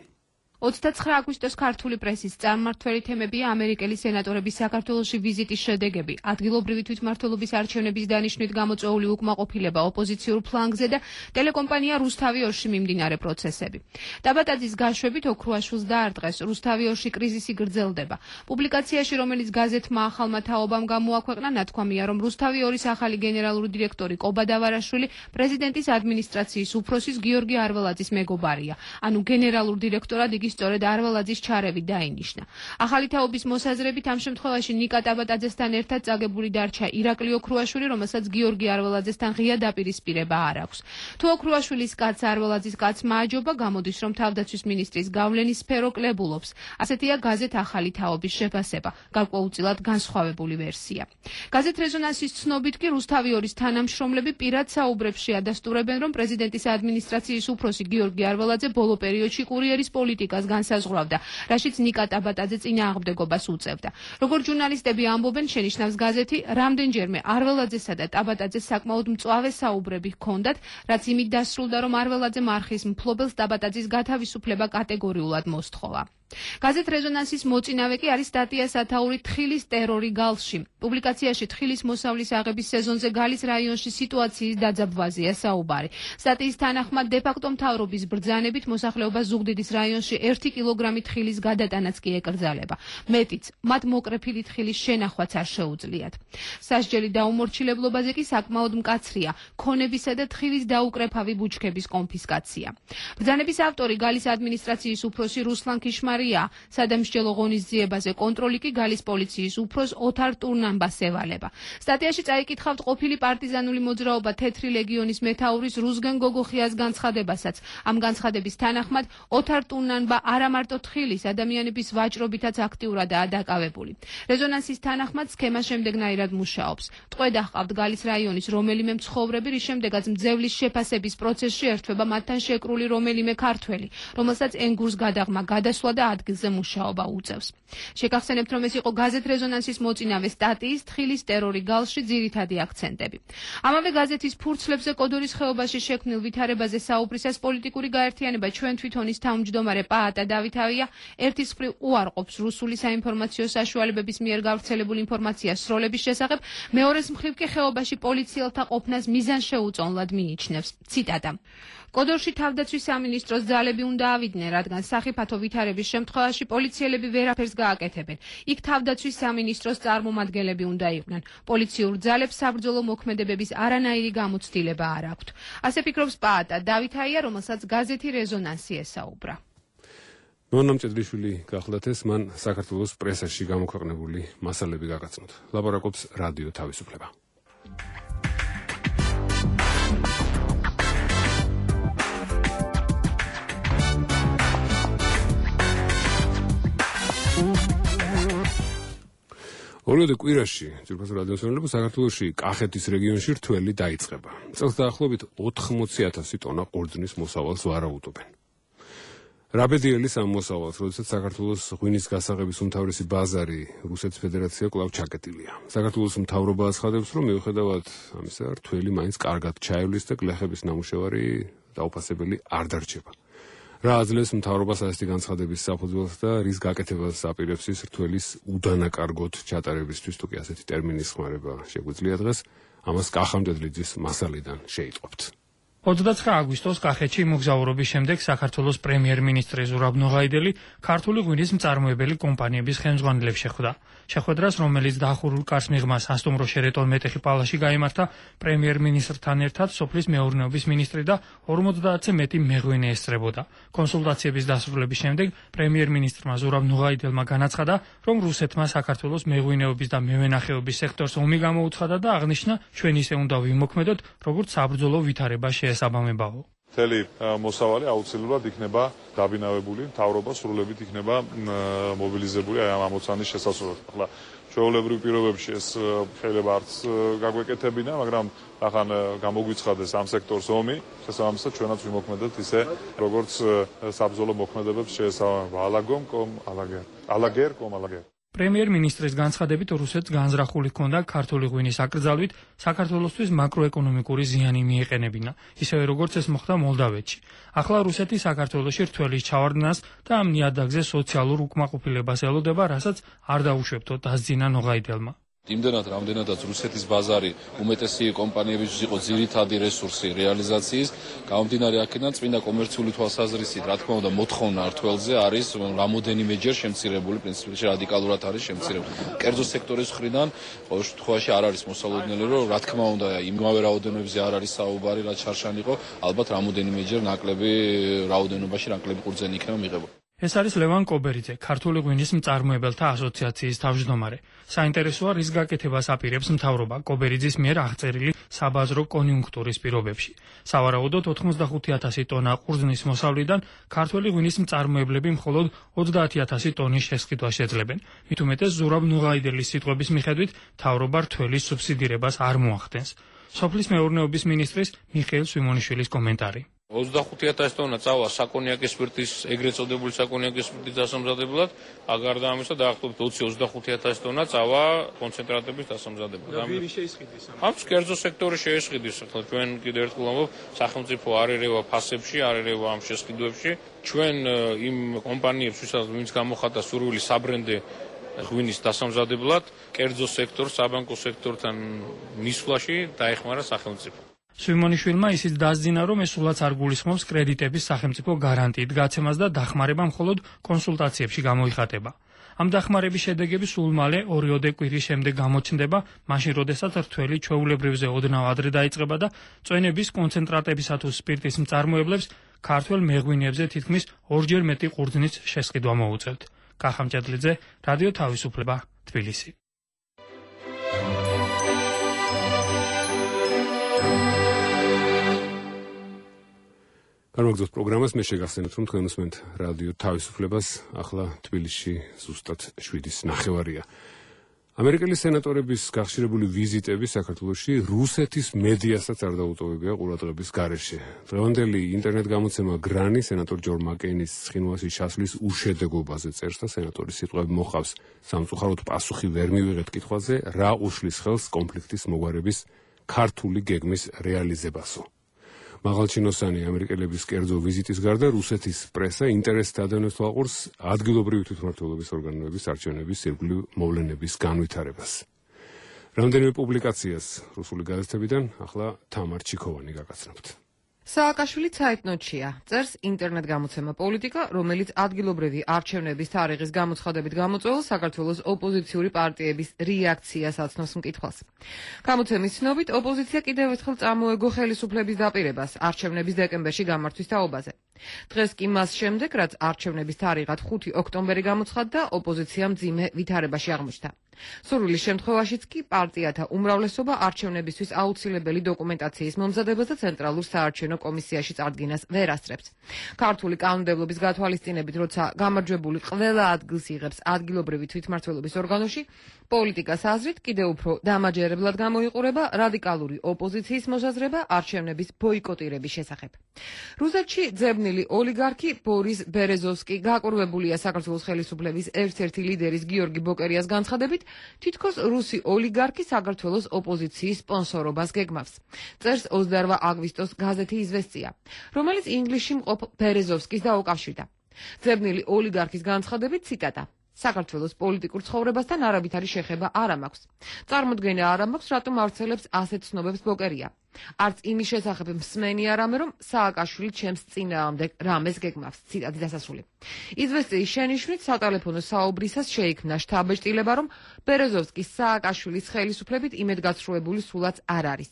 ოცდაცხრა აგვისტოს ქართული პრესის წარმმართველი თემებია ამერიკელი სენატორების საქართველოში ვიზიტის შედეგები, ადგილობრივი თვითმმართველობის არჩევნების დანიშვნით გამოწვეული უკმაყოფილება ოპოზიციურ ფლანგზე და ტელეკომპანია რუსთავი-ორში მიმდინარე პროცესები. დაბატაძის გაშვებით ოქრუაშვილს დაარტყეს, რუსთავი-ორში კრიზისი გრძელდება. პუბლიკაციაში, რომელიც გაზეთმა ახალმა თაობამ გამოაქვეყნა, ნათქვამია, რომ რუსთავი-ორის ახალი გენერალური დირექტორი კობა დავარაშვილი პრეზიდენტის ადმინისტრაციის უფროსის გიორგი არველაძის მეგობარია, ანუ გენერალურ დირექტორად იგი სწორედ არველაძის ჩარევით დაინიშნა. ახალი თაობის მოსაზრებით ამ შემთხვევაში ნიკა ტაბატაძესთან ერთად წაგებული დარჩა ირაკლი ოქრუაშვილი, რომელსაც გიორგი არველაძესთან ღია დაპირისპირება არ აქვს. თუ ოქრუაშვილის კაცს არველაძის კაცმა აჯობა, გამოდის, რომ თავდაცვის მინისტრის გავლენის სფერო კლებულობს. ასეთია გაზეთ ახალი თაობის შეფასება, გარკვეულწილად განსხვავებული ვერსია. გაზეთ რეზონანსის ცნობით კი რუსთავი-ორის თანამშრომლები პირად საუბრებში ადასტურებენ, რომ პრეზიდენტის ადმინისტრაციის უფროსი გიორგი არველაძე ბოლო პერიოდში კურიერის პოლიტიკას განსაზღვრავდა, რაშიც ნიკა ტაბატაძე წინააღმდეგობას უწევდა. როგორც ჟურნალისტები ამბობენ, შენიშნავს გაზეთი, რამდენჯერმე არველაძესა და ტაბატაძეს საკმაოდ მწვავე საუბრები ჰქონდათ, რაც იმით დასრულდა, რომ არველაძემ არხის მფლობელს ტაბატაძის გათავისუფლება კატეგორიულად მოსთხოვა. გაზეთ რეზონანსის მოწინავე კი არის სტატია სათაური თხილის ტერორი გალში. პუბლიკაციაში თხილის მოსავლის აღების სეზონზე გალის რაიონში სიტუაციის დაძაბვაზეა საუბარი. სტატიის თანახმად დე-ფაქტო მთავრობის ბრძანებით მოსახლეობა ზუგდიდის რაიონში ერთი კილოგრამი თხილის გადატანაც კი ეკრძალება. მეტიც, მათ მოკრეფილი თხილის შენახვაც არ შეუძლიათ. სასჯელი დაუმორჩილებლობაზე კი საკმაოდ მკაცრია, ქონებისა და თხილის დაუკრეფავი ბუჩქების კონფისკაცია. ბრძანების ავტორი გალის ადმინისტრაციის უფროსი რუსლან ქიშმარი სადამსჯელო ღონისძიებაზე კონტროლი კი გალის პოლიციის უფროს ოთარ ტურნამბას ევალება. სტატიაში წაიკითხავთ ყოფილი პარტიზანული მოძრაობა თეთრი ლეგიონის მეთაურის რუსგენ გოგოხიას განცხადებასაც. ამ განცხადების თანახმად ოთარ ტურნამბა არა მარტო თხილის ადამიანების ვაჭრობითაც აქტიურადაა დაკავებული. რეზონანსის თანახმად სქემა შემდეგნაირად მუშაობს. ტყვედა ჰყავთ გალის რაიონის რომელიმე მცხოვრები, რის შემდეგაც მძევლის შეფასების პროცესში ერთვება მათთან შეკრული რომელიმე ქართველი, რომელსაც ენგურს გადაღმა გადასვლა და ადგილზე მუშაობა უწევს. შეგახსენებთ, რომ ეს იყო გაზეთ რეზონანსის მოწინავე სტატიის თხილის ტერორი გალში ძირითადი აქცენტები. ამავე გაზეთის ფურცლებზე კოდორის ხეობაში შექმნილ ვითარებაზე საუბრისას პოლიტიკური გაერთიანება ჩვენ თვითონ ის თავმჯდომარე პაატა დავითავია ერთის მხრივ უარყოფს რუსული საინფორმაციო საშუალებების მიერ გავრცელებულ ინფორმაციას სროლების შესახებ, მეორეს მხრივ კი ხეობაში პოლიციელთა ყოფნას მიზანშეუწონლად მიიჩნევს. ციტატა: კოდორში თავდაცვის სამინისტროს ძალები უნდა ავიდნენ, რადგან სახიფათო ვითარების შემთხვევაში პოლიციელები ვერაფერს გააკეთებენ. იქ თავდაცვის სამინისტროს წარმომადგენლები უნდა იყვნენ. პოლიციურ ძალებს საბრძოლო მოქმედებების არანაირი გამოცდილება არ აქვთ. ასე ფიქრობს პაატა დავითაია, რომელსაც გაზეთი რეზონანსი ესაუბრა.
ნონა მჭედლიშვილი გახლდათ ეს, მან საქართველოს პრესაში გამოქვეყნებული მასალები გაგაცნოთ. ლაპარაკობს რადიო თავისუფლება. ორიოდე კვირაში ძირფასო რადიოსმენელები საქართველოში კახეთის რეგიონში რთველი დაიწყება. წელს დაახლოებით ოთხმოცი ათასი ტონა ყურძნის მოსავალს ვარაუდობენ. რაბედიელის ამ მოსავალს, როდესაც საქართველოს ღვინის გასაღების უმთავრესი ბაზარი რუსეთის ფედერაცია კვლავ ჩაკეტილია. საქართველოს მთავრობა აცხადებს, რომ მიუხედავად ამისა, რთველი მაინც კარგად ჩაივლის და გლეხების ნამუშევარი დაუფასებელი არ დარჩება. რა აძლევს მთავრობას ასეთი განცხადების საფუძველს და რის გაკეთებას აპირებს ის რთველის უდანაკარგოდ ჩატარებისთვის, თუ კი ასეთი ტერმინის ხმარება შეგვიძლია დღეს, ამას კახამჭედლიძის მასალიდან შეიტყობთ.
ოცდაცხრა აგვისტოს კახეთში მოგზაურობის შემდეგ საქართველოს პრემიერ-მინისტრი ზურაბ ნოღაიდელი ქართული ღვინის მწარმოებელი კომპანიების ხელმძღვანელებს შეხვდა. შეხვედრას, რომელიც დაახურულ კარს მიღმა სასტუმრო შერეტონ მეტეხი პალაში გაიმართა, პრემიერ-მინისტრთან ერთად სოფლის მეურნეობის მინისტრი და ორმოცდაათზე მეტი მეღვინე ესწრებოდა. კონსულტაციების დასრულების შემდეგ პრემიერ-მინისტრმა ზურაბ ნოღაიდელმა განაცხადა, რომ რუსეთმა საქართველოს მეღვინეობის და მევენახეობის სექტორს ომი გამოუცხადა და აღნიშნა, ჩვენ ისე უნდა ვიმოქმედოთ, როგორც საბრძოლო ვითარება შეესაბამებაო.
მთელი მოსავალი აუცილებლად იქნება დაბინავებული, მთავრობა სრულებით იქნება მობილიზებული აი ამ ამოცანის შესასრულებლად. ახლა ჩვეულებრივ პირობებში ეს შეიძლება არც გაგვეკეთებინა, მაგრამ ახან გამოგვიცხადეს ამ სექტორს ომი, შესაბამისად ჩვენაც ვიმოქმედოთ ისე, როგორც საბრძოლო მოქმედებებს შეესაბამება. ალაგომ კომ ალაგერ. ალაგერ კომ ალაგერ.
პრემიერ-მინისტრის განცხადებით, რუსეთს განზრახული ჰქონდა ქართული ღვინის აკრძალვით საქართველოსთვის მაკროეკონომიკური ზიანი მიეყენებინა, ისევე როგორც ეს მოხდა მოლდავეთში. ახლა რუსეთი საქართველოში რთველის ჩავარდნას და ამ ნიადაგზე სოციალურ უკმაყოფილებას ელოდება, რასაც არ დაუშვებთო დასძინა ნოღაიდელმა.
იმდენად, რამდენადაც რუსეთის ბაზარი უმეტესი კომპანიებისთვის იყო ძირითადი რესურსი რეალიზაციის, გამომდინარე აქედან წმინდა კომერციული თვალსაზრისით, რა თქმა უნდა, მოთხოვნა რთველზე არის რამოდენიმეჯერ შემცირებული, პრინციპში რადიკალურად არის შემცირებული. კერძო სექტორის მხრიდან ყოველ შემთხვევაში არ არის მოსალოდნელი, რომ რა თქმა უნდა, იმავე რაოდენობებზე არ არის საუბარი, რაც შარშან იყო, ალბათ რამოდენიმეჯერ ნაკლები რაოდენობაში ნაკლები ყურძენი იქნება მიღებული.
ეს არის ლევან კობერიძე, ქართული ღვინის მწარმოებელთა ასოციაციის თავმჯდომარე. საინტერესოა, რის გაკეთებას აპირებს მთავრობა კობერიძის მიერ აღწერილი საბაზრო კონიუნქტურის პირობებში. სავარაუდოდ ოთხმოცდახუთი ათასი ტონა ყურძნის მოსავლიდან ქართველი ღვინის მწარმოებლები მხოლოდ ოცდაათი ათასი ტონის შესყიდვას შეძლებენ. მით უმეტეს ზურაბ ნუღაიდელის სიტყვების მიხედვით, მთავრობა რთველის სუბსიდირებას არ მოახდენს. სოფლის მეურნეობის მინისტრის მიხეილ სვიმონიშვილის კომენტარი.
ოცდახუთი ათასი ტონა წავა საკონიაკის სპირტის, ეგრეთ წოდებული საკონიაკის სპირტის დასამზადებლად, გარდა ამისა დაახლოებით ოცი ოცდახუთი ათასი ტონა წავა კონცენტრატების დასამზადებლად.
ვინ შეისყიდის ამ?
ამ კერძო სექტორი შეისყიდის. ახლა ჩვენ კიდევ ერთხელ ვამბობ, სახელმწიფო არ ერევა ფასებში, არ ერევა ამ შესყიდვებში. ჩვენ იმ კომპანიებს, ვინც გამოხატა სურვილი საბრენდე ღვინის დასამზადებლად, კერძო სექტორს, საბანკო სექტორთან მისვლაში დაეხმარა სახელმწიფო.
სვიმონიშვილმა ისიც დასძინა, რომ ეს სულაც არ გულისხმობს კრედიტების სახელმწიფო გარანტიით გაცემას და დახმარება მხოლოდ კონსულტაციებში გამოიხატება. ამ დახმარების შედეგები სულ მალე ორიოდე კვირის შემდეგ გამოჩნდება, მაშინ როდესაც რთველი ჩვეულებრივზე ოდნავ ადრე დაიწყება და წვენების კონცენტრატებისა თუ სპირტის მწარმოებლებს ქართველ მეღვინეებზე თითქმის ორჯერ მეტი ყურძნის შესყიდვა მოუწევთ. კახამჭედლიძე, რადიო თავისუფლება, თბილისი.
გამოგზავნოთ პროგრამას, მე შეგახსენებთ, რომ თქვენ უსმენთ რადიო თავისუფლებას, ახლა თბილისში ზუსტად შვიდის ნახევარია. ამერიკელი სენატორების გახშირებული ვიზიტები საქართველოში რუსეთის მედიასაც არ დაუტოვებია ყურადღების გარეშე. დღევანდელი ინტერნეტ გამოცემა გრანი სენატორ ჯონ მაკეინის ცხინვალში ჩასვლის უშედეგობაზე წერს და სენატორის სიტყვები მოყავს სამწუხაროდ პასუხი ვერ მივიღეთ კითხვაზე, რა უშლის ხელს კონფლიქტის მოგვარების ქართული გეგმის რეალიზებასო. მაღალჩინოსანი ამერიკელების კერძო ვიზიტის გარდა რუსეთის პრესა ინტერესს ადევნებს თვალყურს ადგილობრივი თვითმმართველობის ორგანოების არჩევნების ირგვლივ მოვლენების განვითარებას. რამდენიმე პუბლიკაციას რუსული გაზეთებიდან ახლა თამარ ჩიქოვანი გაგაცნობთ.
სააკაშვილი ცაიტნოტშია, წერს ინტერნეტ გამოცემა პოლიტიკა, რომელიც ადგილობრივი არჩევნების თარიღის გამოცხადებით გამოწვეულ საქართველოს ოპოზიციური პარტიების რეაქციას აცნობს მკითხვას. გამოცემის ცნობით, ოპოზიცია კიდევ ერთხელ წამოეგო ხელისუფლების დაპირებას არჩევნების დეკემბერში გამართვის თაობაზე. დღეს კი მას შემდეგ, რაც არჩევნების თარიღად ხუთი ოქტომბერი გამოცხადდა, ოპოზიცია მძიმე ვითარებაში აღმოჩნდა. სურვილის შემთხვევაშიც კი პარტიათა უმრავლესობა არჩევნებისთვის აუცილებელი დოკუმენტაციის მომზადებას და ცენტრალურ საარჩევნო კომისიაში წარდგენას ვერ ასწრებს. ქართული კანონმდებლობის გათვალისწინებით, როცა გამარჯვებული ყველა ადგილს იღებს ადგილობრივი თვითმმართველობის ორგანოში, პოლიტიკას აზრით კიდევ უფრო დამაჯერებლად გამოიყურება რადიკალური ოპოზიციის მოსაზრება არჩევნების ბოიკოტირების შესახებ. რუსეთში ძებნილი ოლიგარქი ბორის ბერეზოვსკი გაკურვებულია საქართველოს ხელისუფლების ერთ-ერთი ლიდერის გიორგი ბოკერიას განცხადებით, თითქოს რუსი ოლიგარქი საქართველოს ოპოზიციის სპონსორობას გეგმავს. წერს ოცდაორ აგვისტოს გაზეთი იზვესტია, რომელიც ინგლისში მყოფ ბერეზოვსკის დაუკავშირდა. ძებნილი ოლიგარქის განცხადებით, ციტატა: საქართველოს პოლიტიკურ ცხოვრებასთან არავითარი შეხება არ მაქვს. წარმოდგენა არ მაქვს, რატომ ავრცელებს ასეთ ცნობებს ბოკერია. არც იმის შესახებ მსმენი არ ამე, რომ სააკაშვილი ჩემს წინააღმდეგ რამეს გეგმავს. ციტატი დასასრული. იზვესტიის შენიშვნით სატელეფონო საუბრისას შეიქმნა შთაბეჭდილება, რომ ბერეზოვსკის სააკაშვილის ხელისუფლებით იმედგაცრუებული სულაც არ არის.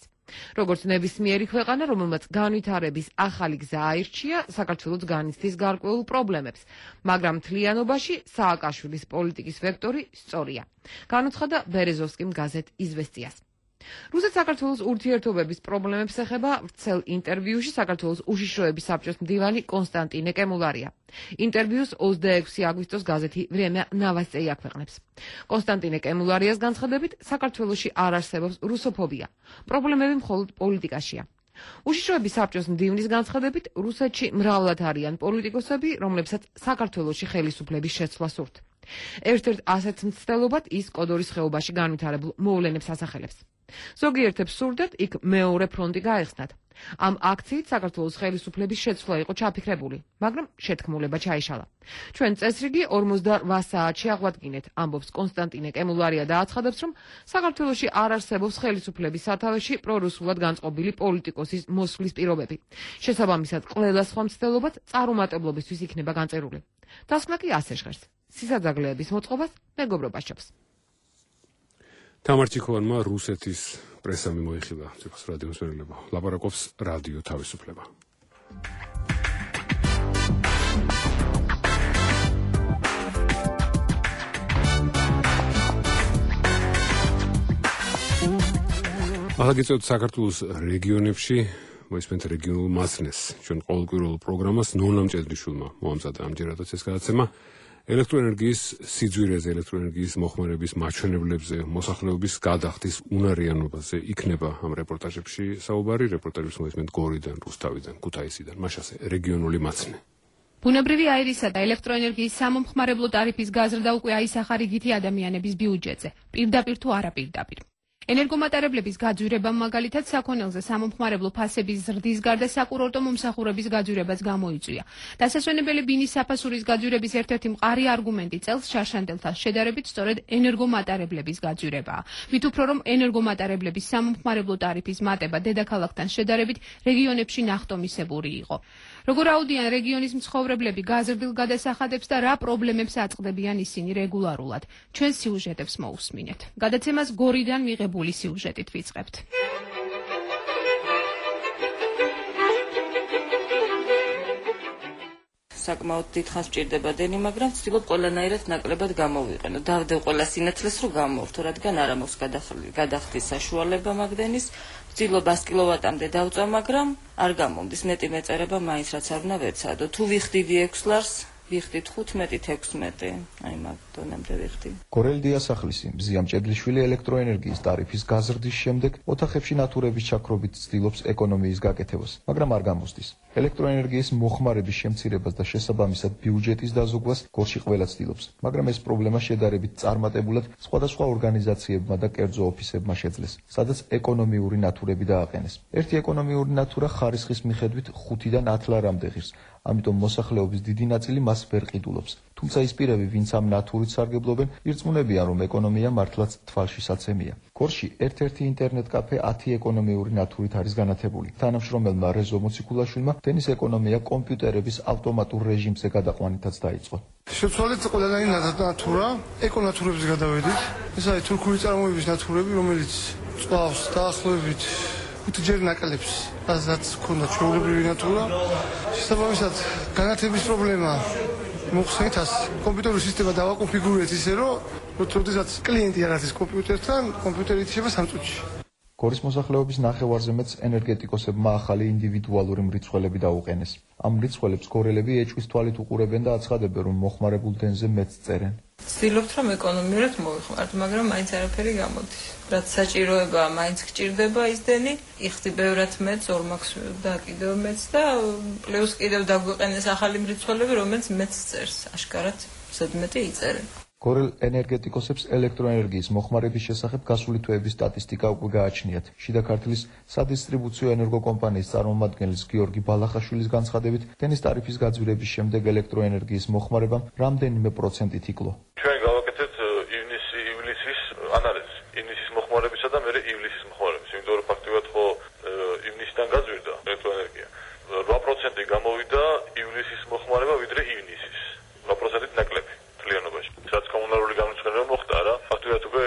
როგორც ნებისმიერი ქვეყანა, რომელმაც განვითარების ახალი გზა აირჩია, საქართველოს განიცდის გარკვეულ პრობლემებს, მაგრამ მთლიანობაში სააკაშვილის პოლიტიკის ვექტორი სწორია. განუცხადა ბერეზოვსკიმ გაზეთ იზვესტიას. რუსეთ-საქართველოს ურთიერთობების პრობლემებს ეხება ვრცელ ინტერვიუში საქართველოს უშიშროების საბჭოს მდივანი კონსტანტინე კემულარია. ინტერვიუს ოცდაექვსი აგვისტოს გაზეთი „ვრემია ნოვოსტი აქვეყნებს. კონსტანტინე კემულარიას განცხადებით, საქართველოში არ არსებობს რუსოფობია. პრობლემები მხოლოდ პოლიტიკაშია. უშიშროების საბჭოს მდივნის განცხადებით, რუსეთში მრავლად არიან პოლიტიკოსები, რომლებსაც საქართველოში ხელისუფლების შეცვლა სურთ. ერთ-ერთ ასეთ მცდელობად ის კოდორის ხეობაში განვითარებულ მოვლენებს ასახელებს. ზოგიერთებს სურდათ იქ მეორე ფრონტი გაეხსნათ. ამ აქციით საქართველოს ხელისუფლების შეცვლა იყო ჩაფიქრებული, მაგრამ შეთქმულება ჩაიშალა. ჩვენ წესრიგი ორმოცდაორ საათში აღვადგინეთ, ამბობს კონსტანტინე კემულარია და აცხადებს, რომ საქართველოში არ არსებობს ხელისუფლების სათავეში პრორუსულად განწყობილი პოლიტიკოსის მოსვლის პირობები. შესაბამისად, ყველა სხვა მცდელობაც წარუმატებლობისთვის იქნება განწერული. დასკვნა კი ასე ჟღერს. სისაძაგლეების მოწყობას მეგობრობა სჯობს.
თამარ ჩიქოვანმა რუსეთის პრესა მიმოიხილა ციხის რადიოს მერილება. ლაპარაკობს რადიო თავისუფლება. ახლა გიწევთ საქართველოს რეგიონებში მოისმენთ რეგიონულ მასნეს. ჩვენ ყოველკვირეულ პროგრამას ნონა მჭედრიშვილმა მოამზადა ამჯერადაც ეს გადაცემა. ელექტროენერგიის სიძვირეზე, ელექტროენერგიის მოხმარების მაჩვენებლებზე, მოსახლეობის გადახდის უნარიანობაზე იქნება ამ რეპორტაჟებში საუბარი. რეპორტაჟებს მოისმენთ გორიდან, რუსთავიდან, ქუთაისიდან, მაშასე რეგიონული მაცნე.
ბუნებრივი აირისა და ელექტროენერგიის სამომხმარებლო ტარიფის გაზრდა უკვე აისახა რიგითი ადამიანების ბიუჯეტზე, პირდაპირ თუ არაპირდაპირ. ენერგომატარებლების გაძვირებამ მაგალითად საქონელზე სამომხმარებლო ფასების ზრდის გარდა საკურორტო მომსახურების გაძვირებას გამოიწვია. დასასვენებელი ბინის საფასურის გაძვირების ერთ-ერთი მყარი არგუმენტი წელს შარშანდელთან შედარებით სწორედ ენერგომატარებლების გაძვირებაა. მით უფრო რომ ენერგომატარებლების სამომხმარებლო ტარიფის მატება დედაქალაქთან შედარებით რეგიონებში ნახტომისებური იყო. როგორ აუდიან რეგიონის მცხოვრებლები გაზრდილ გადასახადებს და რა პრობლემებს აწყდებიან ისინი რეგულარულად. ჩვენ სიუჟეტებს მოусმინეთ. გადაცემას გორიდან მიღებული სიუჟეტით ვიწყებთ.
საკმაოდ დიდხანს მჭირდება დენი, მაგრამ ვცდილობ ყველანაირად ნაკლებად გამოვიყენო. დავდევ ყველა სინათლეს, რომ გამოვთო, რადგან არ მაქვს გადახდის საშუალება მაგდენის. ვცდილობ ას კილოვატამდე დავწვა, მაგრამ არ გამომდის. მეტი მეწერება მაინც რაც არ უნდა ვეცადო. თუ ვიხდიდი ექვს ლარს, ვიხდით ხუთმეტი თექვსმეტი, აი მაგ დონემდე ვიხდი.
კორელი დიასახლისი მზია მჭედლიშვილი ელექტროენერგიის ტარიფის გაზრდის შემდეგ ოთახებში ნათურების ჩაქრობით ცდილობს ეკონომიის გაკეთებას, მაგრამ არ გამოსდის. ელექტროენერგიის მოხმარების შემცირებას და შესაბამისად ბიუჯეტის დაზოგვას გორში ყველა ცდილობს, მაგრამ ეს პრობლემა შედარებით წარმატებულად სხვადასხვა ორგანიზაციებმა და კერძო ოფისებმა შეძლეს, სადაც ეკონომიური ნათურები დააყენეს. ერთი ეკონომიური ნათურა ხარისხის მიხედვით ხუთიდან ათ ლარამდე ღირს, ამიტომ მოსახლეობის დიდი ნაწილი მას ვერ ყიდულობს. თუმცა ის პირები, ვინც ამ ნათურით სარგებლობენ, ირწმუნებიან, რომ ეკონომია მართლაც თვალშისაცემია. გორში ერთ-ერთი ინტერნეტ კაფე ათი ეკონომიური ნათურით არის განათებული. თანამშრომელმა რეზო მოციქულაშვილმა დენის ეკონომია კომპიუტერების ავტომატურ რეჟიმზე გადაყვანითაც დაიწყო.
შეცვალეთ ყველანი ნათურა, ეკონათურების გადავედით. ეს არის თურქული წარმოების ნათურები, რომელიც წვავს დაახლოებით ხუთჯერ ნაკლებს, რაც ქონდა ჩვეულებრივი ნათურა. შესაბამისად, განათების პრობლემა მოხსენით ას კომპიუტერული სისტემა დავაკონფიგურეთ ისე, რომ როდესაც კლიენტი არ არის კომპიუტერთან, კომპიუტერი ითიშება სამ წუთში.
გორის მოსახლეობის ნახევარზე მეტს ენერგეტიკოსებმა ახალი ინდივიდუალური მრიცხველები დაუყენეს. ამ მრიცხველებს გორელები ეჭვის თვალით უყურებენ და აცხადებენ, რომ მოხმარებულ დენზე მეტს წერენ.
ვცდილობთ, რომ ეკონომიურად მოვიხმართ, მაგრამ მაინც არაფერი გამოდის. რაც საჭიროებაა, მაინც გჭირდება ის დენი, იხდი ბევრად მეტს, ორ მაქვს და კიდევ მეტს და პლუს კიდევ დაგვიყენეს ახალი მრიცხველები, რომელიც მეტს წერს. აშკარად ზედმეტი იწერენ.
გორელ ენერგეტიკოსებს ელექტროენერგიის მოხმარების შესახებ გასული თვეების სტატისტიკა უკვე გააჩნიათ. შიდა ქართლის სადისტრიბუციო ენერგოკომპანიის წარმომადგენლის გიორგი ბალახაშვილის განცხადებით, დენის ტარიფის გაძვირების შემდეგ ელექტროენერგიის მოხმარებამ რამდენიმე პროცენტით იკლო.
ჩვენ გავაკეთეთ ივნის-ივლისის ანალიზი, ივნისის მოხმარებისა და მერე ივლისის მოხმარების, იმიტომ რომ ფაქტობრივად ხო ივნისიდან გაძვირდა ელექტროენერგია. რვა პროცენტი გამოვიდა ივლისის მოხმარება ვიდრე ივნისის. რვა პროცენტით ნაკლები მთლიანობაში. რაც კომუნალური განვითარება მოხდა რა, ფაქტობრივად უკვე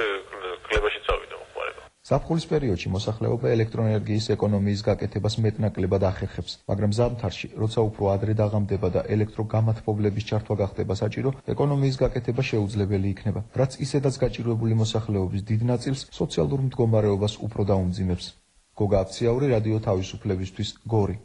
კლებაში წავიდა მოხმარება.
ზაფხულის პერიოდში მოსახლეობა ელექტროენერგიის ეკონომიის გაკეთებას მეტნაკლებად ახერხებს, მაგრამ ზამთარში, როცა უფრო ადრე დაღამდება და ელექტროგამათბობლების ჩართვა გახდება საჭირო, ეკონომიის გაკეთება შეუძლებელი იქნება, რაც ისედაც გაჭირვებული მოსახლეობის დიდ ნაწილს სოციალურ მდგომარეობას უფრო დაუმძიმებს. გოგა აფციაური, რადიო თავისუფლებისთვის, გორი.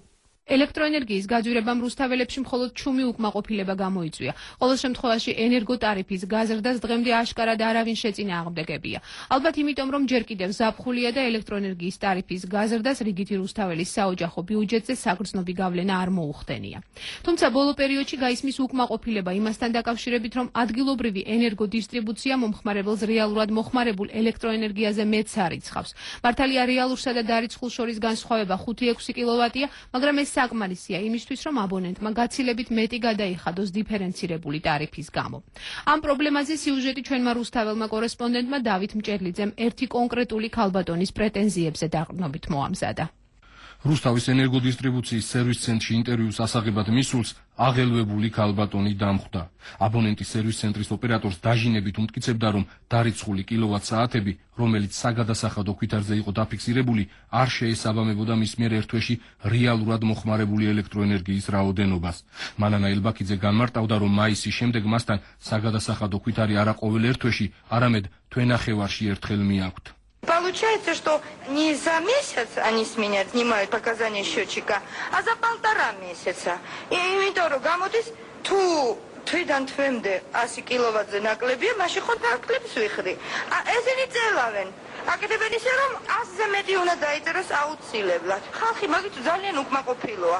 ელექტროენერგიის გაძვირებამ რუსთაველებში მხოლოდ ჩუმი უკმაყოფილება გამოიწვია. ყოველ შემთხვევაში ენერგოტარიფის გაზრდას დღემდე აშკარად არავინ შეწინააღმდეგებია. ალბათ იმიტომ, რომ ჯერ კიდევ ზაფხულია და ელექტროენერგიის ტარიფის გაზრდას რიგითი რუსთაველის საოჯახო ბიუჯეტზე საგრძნობი გავლენა არ მოუხდენია. თუმცა ბოლო პერიოდში გაისმის უკმაყოფილება იმასთან დაკავშირებით, რომ ადგილობრივი ენერგოდისტრიბუცია მომხმარებელს რეალურად მოხმარებულ ელექტროენერგიაზე მეტს არიცხავს. მართალია რეალურსა და დარიცხულ შორის განსხვავება ხუთი ექვსი კილოვატია, მაგრამ ეს საკმარისია იმისთვის, რომ აბონენტმა გაცილებით მეტი გადაიხადოს დიფერენცირებული ტარიფის გამო. ამ პრობლემაზე სიუჟეტი ჩვენმა რუსთაველმა კორესპონდენტმა დავით მჭედლიძემ ერთი კონკრეტული ქალბატონის პრეტენზიებზე დაყრდნობით მოამზადა.
რუსთავის ენერგოდისტრიბუციის სერვის ცენტრში ინტერვიუს ასაღებად მისულს აღელვებული ქალბატონი დამხვდა. აბონენტის სერვის ცენტრის ოპერატორს დაჟინებით უმტკიცებდა, რომ დარიცხული კილოვატ-საათები, რომელიც საგადასახადო ქვითარზე იყო დაფიქსირებული, არ შეესაბამებოდა მის მიერ ერთ თვეში რეალურად მოხმარებული ელექტროენერგიის რაოდენობას. მანანა ელბაქიძე განმარტავდა, რომ მაისის შემდეგ მასთან საგადასახადო ქვითარი არა ყოველ ერთ თვეში, არამედ თვენახევარში ერთხელ მიაქვთ.
Получается, что не за месяц они с меня снимают показания счетчика, а за полтора месяца. И იმიტომ რომ გამოდის თუ თვიდან თვემდე ასი კილოვატზე ნაკლებია, მაშინ ხო ნაკლებს ვიხდი. ესენი წელავენ. აკეთებენ ისე რომ ასზე მეტი უნდა დაიწეროს აუცილებლად. ხალხი მაგით ძალიან უკმაყოფილოა.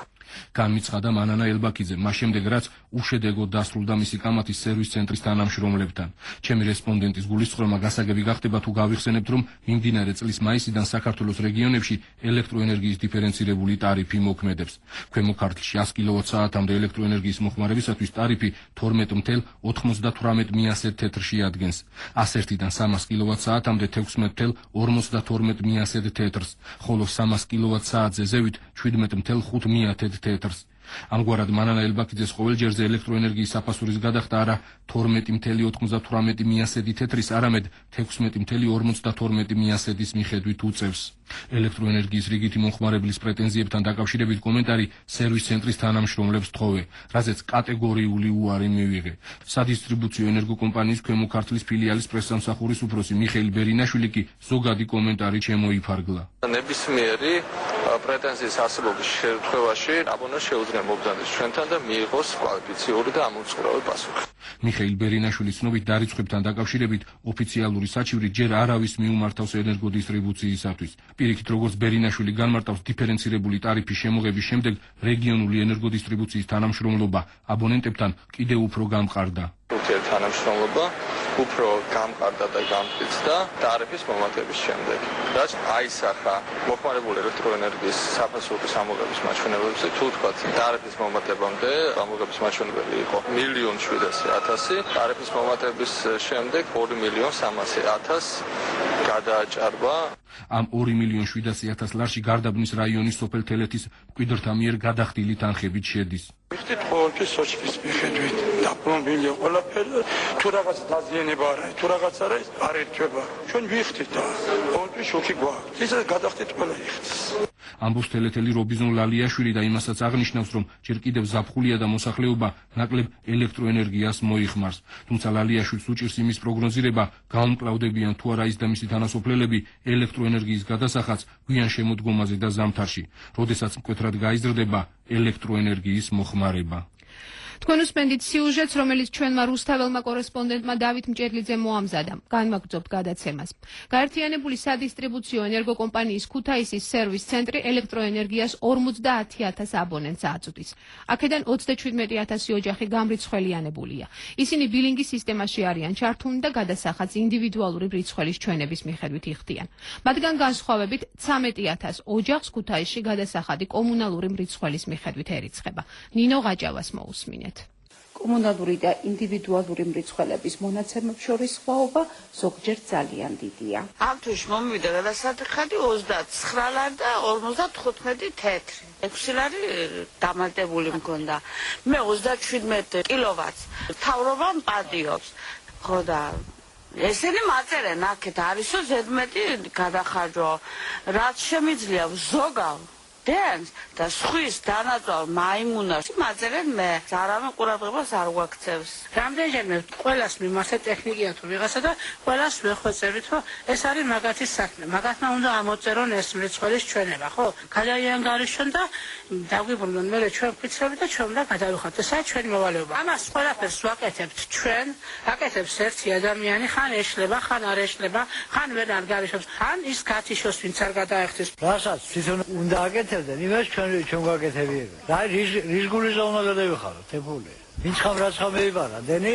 განმიცხადა მანანა ელბაქიძე, მას შემდეგ რაც უშედეგოდ დასრულდა მისი კამათი სერვის ცენტრის თანამშრომლებთან. ჩემი რესპონდენტის გულისწყრომა გასაგები გახდება თუ გავიხსენებთ, რომ მიმდინარე წლის მაისიდან საქართველოს რეგიონებში ელექტროენერგიის დიფერენცირებული ტარიფი მოქმედებს. ქვემო ქართლში ას კილოვატ-საათამდე ელექტროენერგიის მოხმარებისათვის ტარიფი თორმეტ ათი ოცდაათი მიასე თეთრში ადგენს. ას ერთიდან სამას კილოვატ-საათამდე თექვსმეტ ორმოცდათორმეტ მიასე თეთრს, ხოლო სამას კილოვატ-საათზე ზევით შვიდმეტ ხუთი მიათე თეთრს. ამგვარად მანანა ელბაქიძეს ყოველჯერზე ელექტროენერგიის საფასურის გადახდა არა თორმეტი ოცდათვრამეტი მიასედი თეთრის, არამედ თექვსმეტი ორმოცდათორმეტი მიასედის მიხედვით უწევს. ელექტროენერგიის რიგითი მომხმარებლის პრეტენზიებთან დაკავშირებით კომენტარი სერვის ცენტრის თანამშრომლებს თხოვე, რაზეც კატეგორიული უარი მივიღე. სადისტრიბუციო ენერგოკომპანიის ქვემო ქართლის ფილიალის პრესსამსახურის უფროსი მიხეილ ბერინაშვილი კი ზოგადი კომენტარი შემოიფარგლა.
ნებისმიერი
პრეტენზიის არსებობის შემთხვევაში აბონენტს შეუძლია მობრძანდეს ჩვენთან და მიიღოს კვალიფიციური და ამოწყურავი პასუხი.
მიხეილ ბერინაშვილის ცნობით დარიცხვებთან დაკავშირებით ოფიციალური საჩივრი ჯერ არავის მიუმართავს ენერგოდისტრიბუციისათვის. პირიქით, როგორც ბერინაშვილი განმარტავს, დიფერენცირებული ტარიფის შემოღების შემდეგ რეგიონული ენერგოდისტრიბუციის თანამშრომლობა აბონენტებთან კიდევ უფრო გამყარდა.
თანამშრომლობა უფრო გამყარდა და გამტკიცდა ტარიფის მომატების შემდეგ. რაც აისახა მოხმარებული ელექტროენერგიის საფასურის ამოღების მაჩვენებებზე, თუ თქვა ტარიფის მომატებამდე ამოღების მაჩვენებელი იყო მილიონ შვიდასი ათასი, ტარიფის მომატების შემდეგ ორი მილიონ სამასი ათასი გადააჭარბა.
ამ ორი მილიონ შვიდასი ათას ლარში გარდაბნის რაიონის სოფელ თელეთის მკვიდრთა მიერ გადახდილი თანხებით შედის.
ვიხდით ყოველთვის სოჭის მიხედვით დაპლომბილი ყველაფერი, თუ რაღაც დაზიანება არ არის, თუ რაღაც არ არის, არ ერთვება. ჩვენ ვიხდით და ყოველთვის შოქი გვაქვს. ისე გადახდით ყველა იხდის.
ამბობს თელეთელი რობიზონ ლალიაშვილი და იმასაც აღნიშნავს, რომ ჯერ კიდევ ზაფხულია და მოსახლეობა ნაკლებ ელექტროენერგიას მოიხმარს. თუმცა ლალიაშვილს უჭირს იმის პროგნოზირება, გაუმკლავდებიან თუ არა ის და მისი თანასოფლელები ელექტროენერგიის გადასახადს გვიან შემოდგომაზე და ზამთარში, როდესაც მკვეთრად გაიზრდება ელექტროენერგიის მოხმარება.
თქვენ უსმენთ სიუჟეტს, რომელიც ჩვენმა რუსთაველმა კორესპონდენტმა დავით მჭედლიძე მოამზადა. განვაგრძობთ გადაცემას. გაერთიანებული სადისტრიბუციო ენერგოკომპანიის ქუთაისის სერვის ცენტრი ელექტროენერგიას ორმოცდაათი ათას აბონენტს აწვდის. აქედან ოცდაჩვიდმეტი ათასი ოჯახი გამრიცხველიანებულია. ისინი ბილინგის სისტემაში არიან ჩართულნი და გადასახადს ინდივიდუალური მრიცხველის ჩვენების მიხედვით იხდიან. მათგან განსხვავებით ცამეტი ათას ოჯახს ქუთაისში გადასახადი კომუნალური მრიცხველის მიხედვით ერიცხება. ნინო ღაჭავას მოусმინეთ.
კომუნალური და ინდივიდუალური მრიცხველების მონაცემებს შორის სხვაობა ზოგჯერ ძალიან დიდია.
ამ თვეში მომივიდა გადასახადი ოცდაცხრა ლარი და ორმოცდათხუთმეტი თეთრი. ექვსი ლარი დამატებული მქონდა. მე ოცდაჩვიდმეტი კილოვატს მთავრობა მპადიობს. ხო და ესენი მაწერენ აქეთ არისო ზედმეტი გადახარჯვა. რაც შემიძლია ზოგავ დენს და სხვის დანაწვალ მაიმუნას მაწერენ მე ზარავენ ყურადღებას არ გვაქცევს.
რამდენჯერმე ყველას მიმართეთ ტექნიკია თუ ვიღაცა და ყველას ვეხვეწებით, რომ ეს არის მაგათის საქმე. მაგათმა უნდა ამოწერონ ეს მრიცხველის ჩვენება, ხო? გადაიანგარიშონ და დაგვიბრუნონ მე ჩვენ ვფიცრებით და ჩვენ უნდა გადავიხართ. ესაა ჩვენი მოვალეობა. ამას ყველაფერს ვაკეთებთ ჩვენ, აკეთებს ერთი ადამიანი, ხან ეშლება, ხან არ ეშლება, ხან ვერ ანგარიშობს, ხან ის გათიშოს, ვინც არ გადაეხტის.
რასაც თვითონ უნდა აკეთებდეს იმას ჩვენ ჩვენ გვაკეთებია. რა რის რის გულისა უნდა გადავიხარო, თებული. ვინც ხამ რაც ხამ მეიბარა, დენი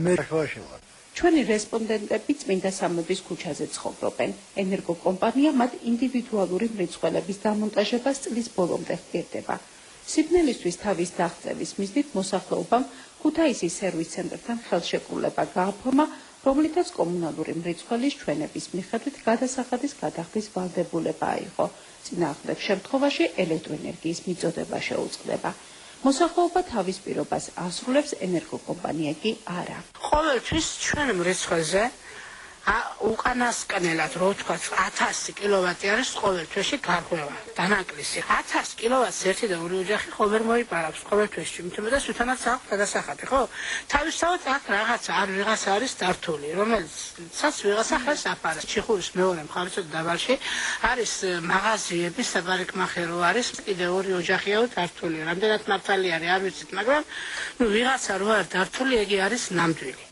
მე შუაში ვარ.
ჩვენი რესპონდენტები წმინდა სამების ქუჩაზე ცხოვრობენ. ენერგოკომპანია მათ ინდივიდუალური მრიცხველების დამონტაჟებას წლის ბოლომდე ხდირდება. სიბნელისთვის თავის დაღწევის მიზნით მოსახლეობამ ქუთაისის სერვის ცენტრთან ხელშეკრულება გააფორმა, რომლითაც კომუნალური მრიცხველის ჩვენების მიხედვით გადასახადის გადახდის ვალდებულება აიღო. წინააღმდეგ შემთხვევაში ელექტროენერგიის მიწოდება შეუწყდება. მოსახლეობა თავის პირობას ასრულებს, ენერგოკომპანია კი არა.
ყოველთვის ჩვენ მრიცხველზე უკანასკნელად რო ვთქვა ათასი კილოვატი არის ყოველთვეში გარღვევა დანაკლისი. ათას კილოვატს ერთი და ორი ოჯახი ყოველ მოიპარავს ყოველთვეში, იმიტომ რომ თვითონაც აქვს გადასახადი, ხო? თავისთავად აქ რაღაცა არ ვიღაცა არის დართული, რომელსაც ვიღაცა ხელს აფარებს. ჩიხურის მეორე მხარეში დაბალში არის მაღაზიები, საპარიკმახერო არის, კიდე ორი ოჯახია დართული. რამდენად მართალი არის არ ვიცით, მაგრამ ნუ ვიღაცა რო არ დართული, ეგი არის ნამდვილი.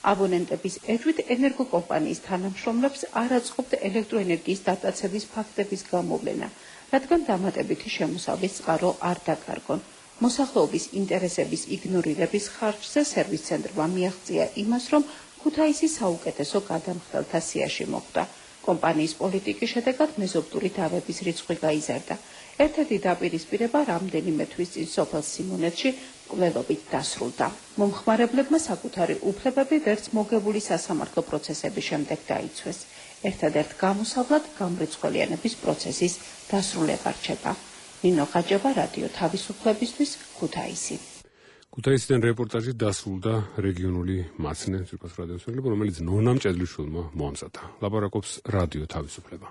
აბონენტების ეთვით ენერგოკომპანიის თანამშრომლებს არ აწყობთ ელექტროენერგიის დატაცების ფაქტების გამოვლენა, რადგან დამატებითი შემოსავლის წყარო არ დაკარგონ. მოსახლეობის ინტერესების იგნორირების ხარჯზე სერვის ცენტრმა მიაღწია იმას, რომ ქუთაისი საუკეთესო გადამხდელთა სიაში მოხვდა. კომპანიის პოლიტიკის შედეგად მეზობლური დავების რიცხვი გაიზარდა. ერთ-ერთი დაპირისპირება რამდენიმე თვის წინ სოფელ სიმონეთში მკვლელობით დასრულდა. მომხმარებლებმა საკუთარი უფლებები ვერც მოგებული სასამართლო პროცესების შემდეგ დაიცვეს. ერთადერთ გამოსავლად გამრიცხველიანების პროცესის დასრულება რჩება. ნინო ღაჭევა, რადიო თავისუფლებისთვის, ქუთაისი.
ქუთაისიდან რეპორტაჟი დასრულდა რეგიონული მაცნე ძირფას რადიოს ელები, რომელიც ნონა მჭედლიშვილმა მოამზადა. ლაპარაკობს რადიო თავისუფლება.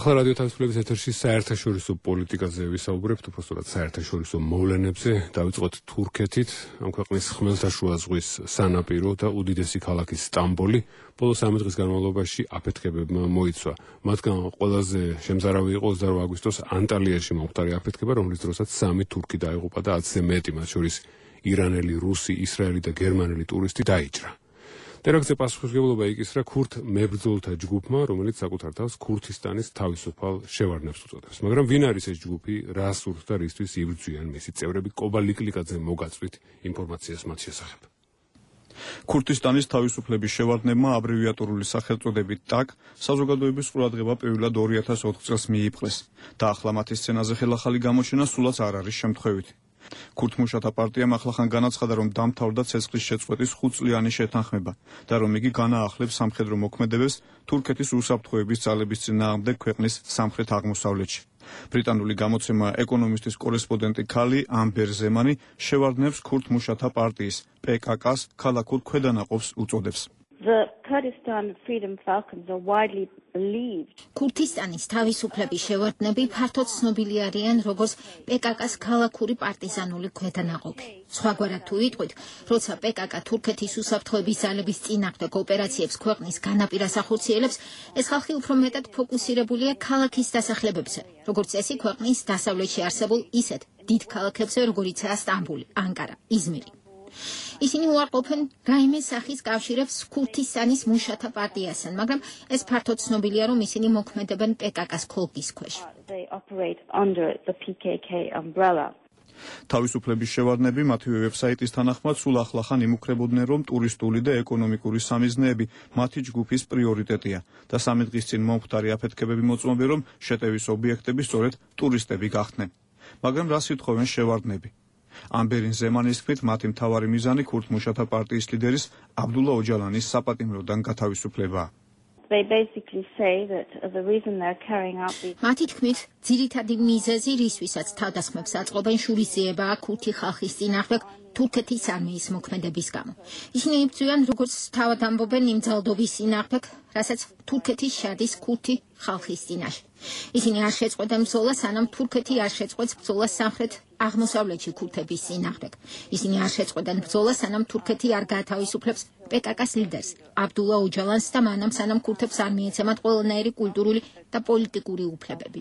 ახლა რადიო თავისუფლების ეთერში საერთაშორისო პოლიტიკაზე ვისაუბრებთ, უბრალოდ საერთაშორისო მოვლენებზე. დავიწყოთ თურქეთით, ამ ქვეყნის ხმელთაშუა ზღვის სანაპირო და უდიდესი ქალაქი სტამბოლი ბოლო სამი დღის განმავლობაში აფეთქებებმა მოიცვა. მათგან ყველაზე შემზარავი იყო ოცდაორი აგვისტოს ანტალიაში მომხდარი აფეთქება, რომლის დროსაც სამი თურქი დაიღუპა და ათზე მეტი, მათ შორის ირანელი, რუსი, ისრაელი და გერმანელი ტურისტი დაიჭრა. ტერაქტზე პასუხისმგებლობა იკისრა ქურთ მებრძოლთა ჯგუფმა, რომელიც საკუთარ თავს ქურთისტანის თავისუფალ შევარდნებს უწოდებს. მაგრამ ვინ არის ეს ჯგუფი, რა სურთ და რისთვის იბრძვიან მისი წევრები? კობა ლიკლიკაძე მოგაწვით ინფორმაციას მათ შესახებ.
ქურთისტანის თავისუფლების შევარდნებმა აბრევიატურული სახელწოდებით ტაკ საზოგადოების ყურადღება პირველად ორი ათას ოთხ წელს მიიპყრეს და ახლა მათი სცენაზე ხელახალი გამოჩენა სულაც არ არის შემთხვევითი. ქურთმუშათა პარტიამ ახლახან განაცხადა, რომ დამთავრდა ცეცხლის შეწყვეტის ხუთწლიანი შეთანხმება და რომ იგი განაახლებს სამხედრო მოქმედებებს თურქეთის უსაფრთხოების ძალების წინააღმდეგ ქვეყნის სამხრეთ აღმოსავლეთში. ბრიტანული გამოცემა ეკონომისტის კორესპონდენტი ქალი ამბერ ზემანი შევარდნებს ქურთმუშათა პარტიის პე კა კას ქალაქურ ქვედანაყოფს უწოდებს.
The Kurdistan Freedom Falcons are widely believed.
ქურთისტანის თავისუფლების შევარდნები ფართოდ ცნობილი არიან როგორც პე კა კას ქალაქური პარტიზანული ქვედანაყოფი. სხვაგვარად თუ ვიტყვით, როცა პე კა კა თურქეთის უსაფრთხოების ძალების წინააღმდეგ ოპერაციებს ქვეყნის განაპირას ახორციელებს, ეს ხალხი უფრო მეტად ფოკუსირებულია ქალაქის დასახლებებზე, როგორც წესი ქვეყნის დასავლეთში არსებულ ისეთ დიდ ქალაქებზე, როგორიცაა სტამბული, ანკარა, იზმირი. ისინი უარყოფენ რაიმე სახის კავშირებს ქურთისტანის მუშათა პარტიასთან, მაგრამ ეს ფართოდ ცნობილია, რომ ისინი მოქმედებენ პე კა კას ქოლგის ქვეშ.
თავისუფლების შევარდნები მათივე ვებსაიტის თანახმად სულ ახლახან იმუქრებოდნენ, რომ ტურისტული და ეკონომიკური სამიზნეები მათი ჯგუფის პრიორიტეტია და სამი დღის წინ მომხდარი აფეთქებები მოწმობენ, რომ შეტევის ობიექტები სწორედ ტურისტები გახდნენ. მაგრამ რას ითხოვენ შევარდნები? ამბერინ ზემანის თქმით, მათი მთავარი მიზანი ქურთმუშათა პარტიის ლიდერის აბდულა ოჯალანის საპატიმროდან გათავისუფლებაა.
მათი თქმით, ძირითადი მიზეზი, რისთვისაც თავდასხმებს აწყობენ, შურისძიებაა ქურთი ხალხის წინააღმდეგ თურქეთის არმიის მოქმედების გამო. ისინი იბრძვიან, როგორც თავად ამბობენ, იმ ძალდობის წინააღმდეგ, რასაც თურქეთის შადის ქურთი ხალხის წინაშე. ისინი არ შეწყვეტენ ბრძოლას, სანამ თურქეთი არ შეწყვეტს ბრძოლას სამხრეთ აღმოსავლეთში ქურთების წინააღმდეგ. ისინი არ შეწყვეტენ ბრძოლას, სანამ თურქეთი არ გაათავისუფლებს პე კა კას ლიდერს აბდულა ოჯალანს და მანამ სანამ ქურთებს არ მიეცემათ ყველანაირი კულტურული და პოლიტიკური უფლებები.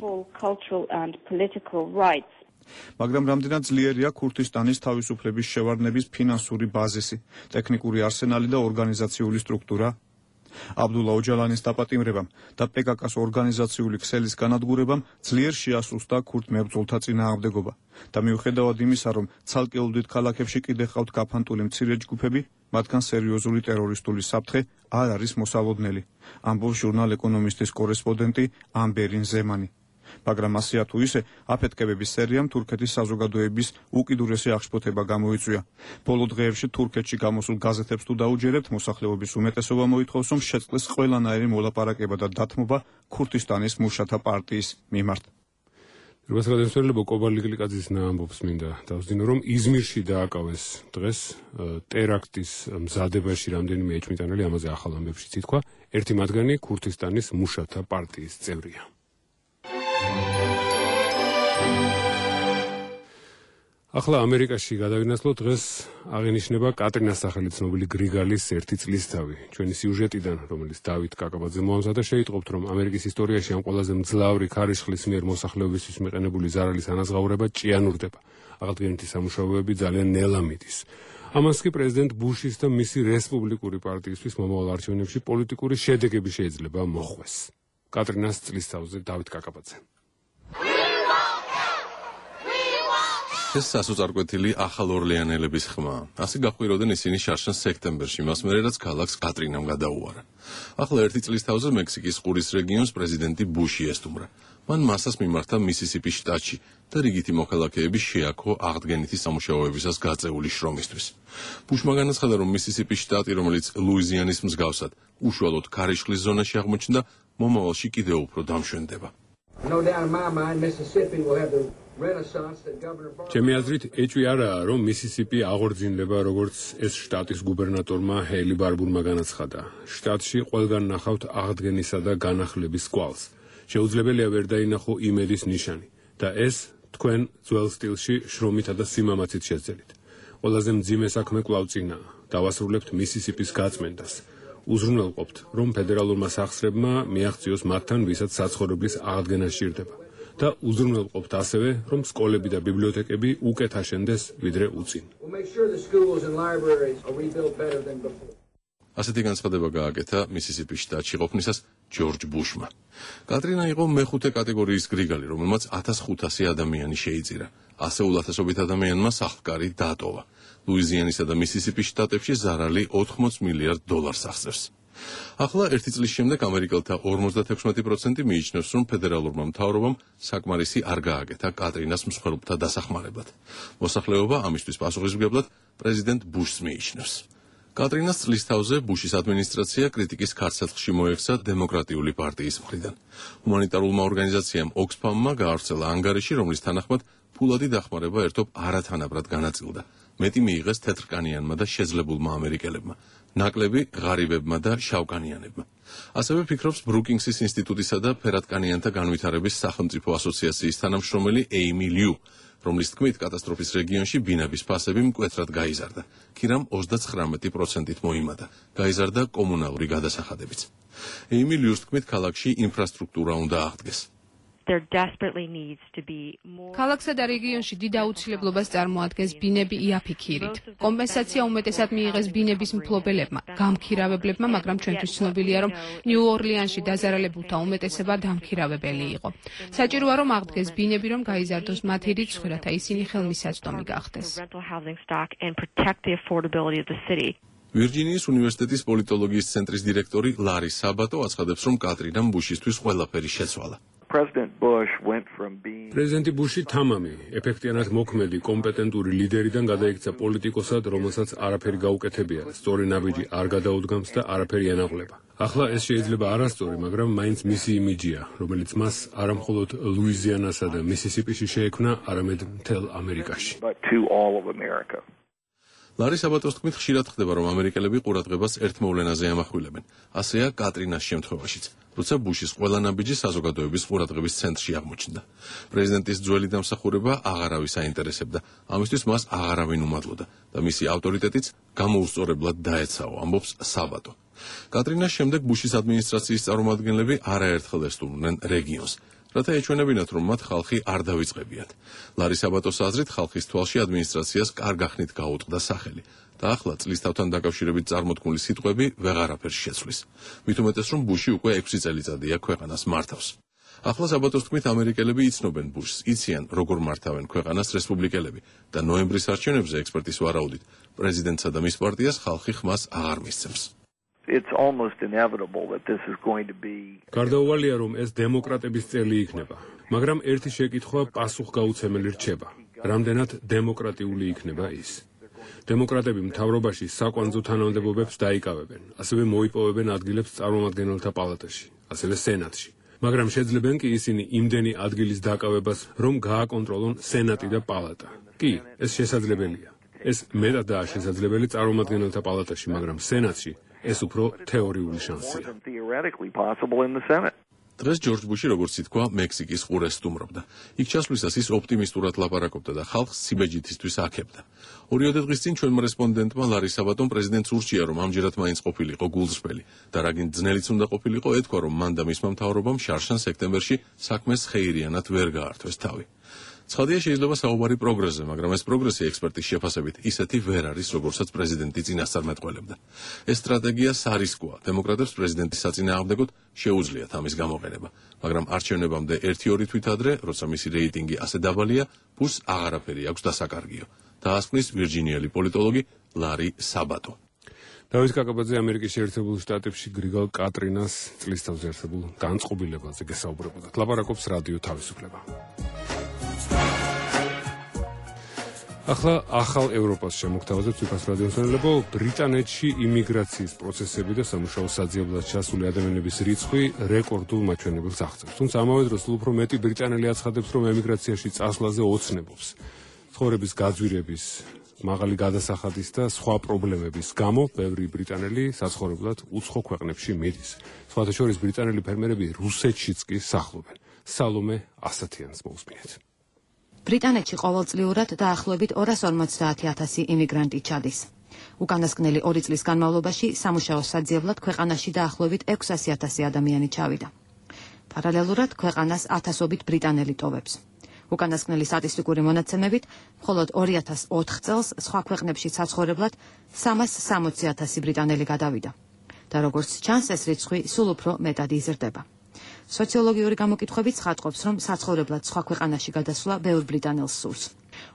მაგრამ რამდენად ძლიერია ქურთისტანის თავისუფლების შევარდნების ფინანსური ბაზისი, ტექნიკური არსენალი და ორგანიზაციული სტრუქტურა? აბდულა ოჯალანის დაპატიმრებამ და პე კა კას ორგანიზაციული ქსელის განადგურებამ ძლიერ შეასრულდა ქურთ მებრძოლთა წინააღმდეგობა და მიუხედავად იმისა, რომ ცალკეულ დიდ ქალაქებში კიდე ჰყავთ გაფანტული მცირე ჯგუფები, მათგან სერიოზული ტერორისტული საფრთხე არ არის მოსალოდნელი, ამბობს ჟურნალ ეკონომისტის კორესპონდენტი ამბერინ ზემანი. მაგრამ ასეა თუ ისე, აფეთქებების სერიამ თურქეთის საზოგადოების უკიდურესი აღშფოთება გამოიწვია. ბოლო დღეებში თურქეთში გამოსულ გაზეთებს თუ დაუჯერებთ, მოსახლეობის უმეტესობა მოითხოვს, რომ შეწყდეს ყველანაირი მოლაპარაკება და დათმობა ქურთისტანის მუშათა პარტიის მიმართ.
რუსეთელო კობა ლიკლიკაძის ამბობს მინდა დავსდინო, რომ იზმირში დააკავეს დღეს ტერაქტის მზადებაში რამდენიმე ეჭვმიტანელი, ამაზე ახალ ამბებშიც ითქვა, ერთი მათგანი ქურთისტანის მუშათა პარტიის წევრია. ახლა ამერიკაში გადავინაცვლოთ, დღეს აღინიშნება კატრინას სახელით ცნობილი გრიგალის ერთი წლისთავი. ჩვენი სიუჟეტიდან, რომელიც დავით კაკაბაძე მოამზადა, შეიტყობთ, რომ ამერიკის ისტორიაში ამ ყველაზე მძლავრი ქარიშხლის მიერ მოსახლეობისთვის მიყენებული ზარალის ანაზღაურება ჭიანურდება. აღდგენითი სამუშაოები ძალიან ნელა მიდის. ამას კი პრეზიდენტ ბუშის და მისი რესპუბლიკური პარტიისთვის მომავალ არჩევნებში პოლიტიკური შედეგები შეიძლება მოხვეს. კატრინას წლისთავზე დავით კაკაბაძე.
ეს სასოწარკვეთილი ახალ ორლეანელების ხმაა. ასე გაყვიროდნენ ისინი შარშან სექტემბერში, მას მერე რაც ქალაქს კატრინამ გადაუარა. ახლა ერთი წლის თავზე მექსიკის ყურის რეგიონს პრეზიდენტი ბუში ესტუმრა. მან მასას მიმართა მისისიპის შტატში და რიგითი მოქალაქეები შეაქო აღდგენითი სამუშაოებისას გაწეული შრომისთვის. ბუშმა განაცხადა, რომ მისისიპის შტატი, რომელიც ლუიზიანის მსგავსად უშუალოდ ქარიშხლის ზონაში აღმოჩნდა, მომავალში კიდევ უფრო დამშვენდება.
ჩემი აზრით, ეჭვი არაა, რომ მისისიპი აღორძინდება, როგორც ეს შტატის გუბერნატორმა ჰეილი ბარბურმა განაცხადა. შტატში ყველგან ნახავთ აღდგენისა და განახლების კვალს. შეუძლებელია ვერ დაინახო იმედის ნიშანი და ეს თქვენ ძველ სტილში შრომითა და სიმამაცით შეძელით. ყველაზე მძიმე საქმე კვლავ წინაა. დავასრულებთ მისისიპის გაწმენდას. უზრუნველყოფთ, რომ ფედერალურმა სახსრებმა მიაღწიოს მათთან, ვისაც საცხოვრებლის აღდგენა სჭირდება. და უზრუნველყოფთ ასევე, რომ სკოლები და ბიბლიოთეკები უკეთ აშენდეს, ვიდრე უწინ.
ასეთი განცხადება გააკეთა მისისიპის შტატში ყოფნისას ჯორჯ ბუშმა. კატრინა იყო მეხუთე კატეგორიის გრიგალი, რომელმაც ათას ხუთასი ადამიანი შეიწირა. ასეულ ათასობით ადამიანმა სახლკარი დაატოვა. ლუიზიანისა და მისისიპის შტატებში ზარალი ოთხმოც მილიარდ დოლარს აღწევს. ახლა ერთი წლის შემდეგ ამერიკელთა ორმოცდათექვსმეტი პროცენტი მიიჩნევს, რომ ფედერალურმა მთავრობამ საკმარისი არ გააკეთა კატრინას მსხვერპლთა დასახმარებლად. მოსახლეობა ამისთვის პასუხისმგებლად პრეზიდენტ ბუშს მიიჩნევს. კატრინას წლის თავზე ბუშის ადმინისტრაცია კრიტიკის ქარცეცხლში მოექცა დემოკრატიული პარტიის მხრიდან. ჰუმანიტარულმა ორგანიზაციამ ოქსფამმა გაავრცელა ანგარიში, რომლის თანახმად ფულადი დახმარება ერთობ არათანაბრად განაწილდა. მეტი მიიღეს თეთრკანიანმა და შეძლებულმა ამერიკელებმა, ნაკლები ღარიბებმა და შავკანიანებმა. ასევე ფიქრობს ბრუკინგსის ინსტიტუტისა და ფერადკანიანთა განვითარების სახელმწიფო ასოციაციის თანამშრომელი ეიმი ლიუ, რომლის თქმით კატასტროფის რეგიონში ბინების ფასები მკვეთრად გაიზარდა. ქირამ ოცდაცხრამეტი პროცენტით მოიმატა, გაიზარდა კომუნალური გადასახადებიც. ეიმი ლიუს თქმით ქალაქში ინფრასტრუქტურა უნდა აღდგეს.
ქალაქსა და რეგიონში დიდ აუცილებლობას წარმოადგენს ბინები იაფიქირით. კომპენსაცია უმეტესად მიიღეს ბინების მფლობელებმა, გამქირავებლებმა, მაგრამ ჩვენთვის ცნობილია, რომ ნიუ-ორლიანში დაზარალებულთა უმეტესობა დამქირავებელი იყო. საჭიროა, რომ აღდგეს ბინები, რომ გაიზარდოს მათი რიცხვი, რათა ისინი ხელმისაწვდომი გახდეს.
ვირჯინიის უნივერსიტეტის პოლიტოლოგიის ცენტრის დირექტორი ლარი საბატო აცხადებს, რომ კატრინამ ბუშისთვის ყველაფერი შეცვალა.
პრეზიდენტი ბუში თამამი, ეფექტიანად მოქმედი, კომპეტენტური ლიდერიდან გადაიქცა პოლიტიკოსად, რომელსაც არაფერი გაუკეთებია, სწორი ნაბიჯი არ გადაუდგამს და არაფერი ენაღლება. ახლა ეს შეიძლება არასწორი, მაგრამ მაინც მისი იმიჯია, რომელიც მას არამხოლოდ ლუიზიანასა და მისისიპიში შეექმნა, არამედ მთელ ამერიკაში.
ლარი საბატოს თქმით, ხშირად ხდება, რომ ამერიკელები ყურადღებას ერთ მოვლენაზე ამახვილებენ. ასეა კატრინას შემთხვევაშიც, როცა ბუშის ყველა ნაბიჯი საზოგადოების ყურადღების ცენტრში აღმოჩნდა. პრეზიდენტის ძველი დამსახურება აღარავის აინტერესებდა, ამისთვის მას აღარავინ უმადლოდა და მისი ავტორიტეტიც გამოუსწორებლად დაეცაო, ამბობს საბატო. კატრინას შემდეგ ბუშის ადმინისტრაციის წარმომადგენლები არაერთხელ ესტუმრნენ რეგიონს, რათა ეჩვენებინათ, რომ მათ ხალხი არ დავიწყებიათ. ლარი საბატოს აზრით, ხალხის თვალში ადმინისტრაციას კარგახნით გაუწყდა სახელი და ახლა წლის თავთან დაკავშირებით წარმოთქმული სიტყვები ვეღარაფერს შეცვლის. მით უმეტეს, რომ ბუში უკვე ექვსი წელიწადია ქვეყანას მართავს. ახლა საბატოს თქმით, ამერიკელები იცნობენ ბუშს, იციან, როგორ მართავენ ქვეყანას რესპუბლიკელები და ნოემბრის არჩევნებზე ექსპერტის ვარაუდით, პრეზიდენტსა და მის პარტიას ხალხი ხმას აღარ მისცემს.
It's almost inevitable that this is going to be
გარდაუვალია, რომ ეს დემოკრატების წელი იქნება, მაგრამ ერთი შეკითხვა პასუხგაუცემელი რჩება. რამდენად დემოკრატიული იქნება ის? დემოკრატები მთავრობაში საკვანძო თანამდებობებს დაიკავებენ, ასევე მოიპოვებენ ადგილებს წარმომადგენელთა პალატაში, ასევე სენატში. მაგრამ შეძლებენ კი ისინი იმდენი ადგილის დაკავებას, რომ გააკონტროლონ სენატი და პალატა. კი, ეს შესაძლებელია. ეს მეტადაა შესაძლებელი წარმომადგენელთა პალატაში, მაგრამ სენატში ეს უფრო თეორიული შანსია.
დღეს ჯორჯ ბუში, როგორც ითქვა, მექსიკის ყურეს სტუმრობდა. იქ ჩასვლისას ის ოპტიმისტურად ლაპარაკობდა და ხალხს სიბეჯითისთვის აქებდა. ორიოდე დღის წინ ჩვენმა რესპონდენტმა ლარი საბატომ პრეზიდენტს ურჩია, რომ ამჯერად მაინც ყოფილიყო გულწრფელი და რაგინ ძნელიც უნდა ყოფილიყო, ეთქვა, რომ მან და მისმა მთავრობამ შარშან სექტემბერში საქმეს ხეირიანად ვერ გაართვეს თავი. ცხადია, შეიძლება საუბარი პროგრესზე, მაგრამ ეს პროგრესი ექსპერტის შეფასებით ისეთი ვერ არის, როგორცაც პრეზიდენტი წინასწარ მეტყველებდა. ეს სტრატეგია სარისკოა. დემოკრატებს პრეზიდენტის საწინააღმდეგოდ შეუძლიათ ამის გამოყენება, მაგრამ არჩევნებამდე ერთი-ორი თვით ადრე, როცა მისი რეიტინგი ასე დაბალია, ბუშს აღარაფერი აქვს დასაკარგიო. დაასკვნის ვირჯინიელი პოლიტოლოგი ლარი საბატო.
დავით კაკაბაძე ამერიკის შეერთებულ შტატებში გრიგალ კატრინას წლის თავზე არსებულ განწყობილებაზე გესაუბრებოდა. ლაპარაკობს რადიო თავისუფლება. ახლა ახალ ევროპას შემოგთავაზებთ უფას რადიომსმენელებო. ბრიტანეთში იმიგრაციის პროცესები და სამუშაო საძიებლად ჩასული ადამიანების რიცხვი რეკორდულ მაჩვენებელს აღწევს. თუმცა ამავე დროს უფრო მეტი ბრიტანელი აცხადებს, რომ ემიგრაციაში წასვლაზე ოცნებობს. ცხოვრების გაძვირების მაღალი გადასახადის და სხვა პრობლემების გამო ბევრი ბრიტანელი საცხოვრებლად უცხო ქვეყნებში მიდის. სხვათა შორის ბრიტანელი ფერმერები რუსეთშიც კი სახლობენ. სალომე ასათიანს მოусმინეთ.
ბრიტანეთში ყოველწლიურად დაახლოებით ორას ორმოცდაათი ათასი იმიგრანტი ჩადის. უკანასკნელი ორი წლის განმავლობაში სამუშაო საძიებლად ქვეყანაში დაახლოებით ექვსასი ათასი ადამიანი ჩავიდა. პარალელურად ქვეყანას ათასობით ბრიტანელი ტოვებს. უკანასკნელი სტატისტიკური მონაცემებით, მხოლოდ ორი ათას ოთხ წელს სხვა ქვეყნებში საცხოვრებლად სამას სამოცი ათასი ბრიტანელი გადავიდა. და როგორც ჩანს, ეს რიცხვი სულ უფრო მეტად იზრდება. სოციოლოგიური გამოკითხვებიც ხატყობს, რომ საცხოვრებლად სხვა ქვეყანაში გადასვლა ბევრ ბრიტანელს სურს.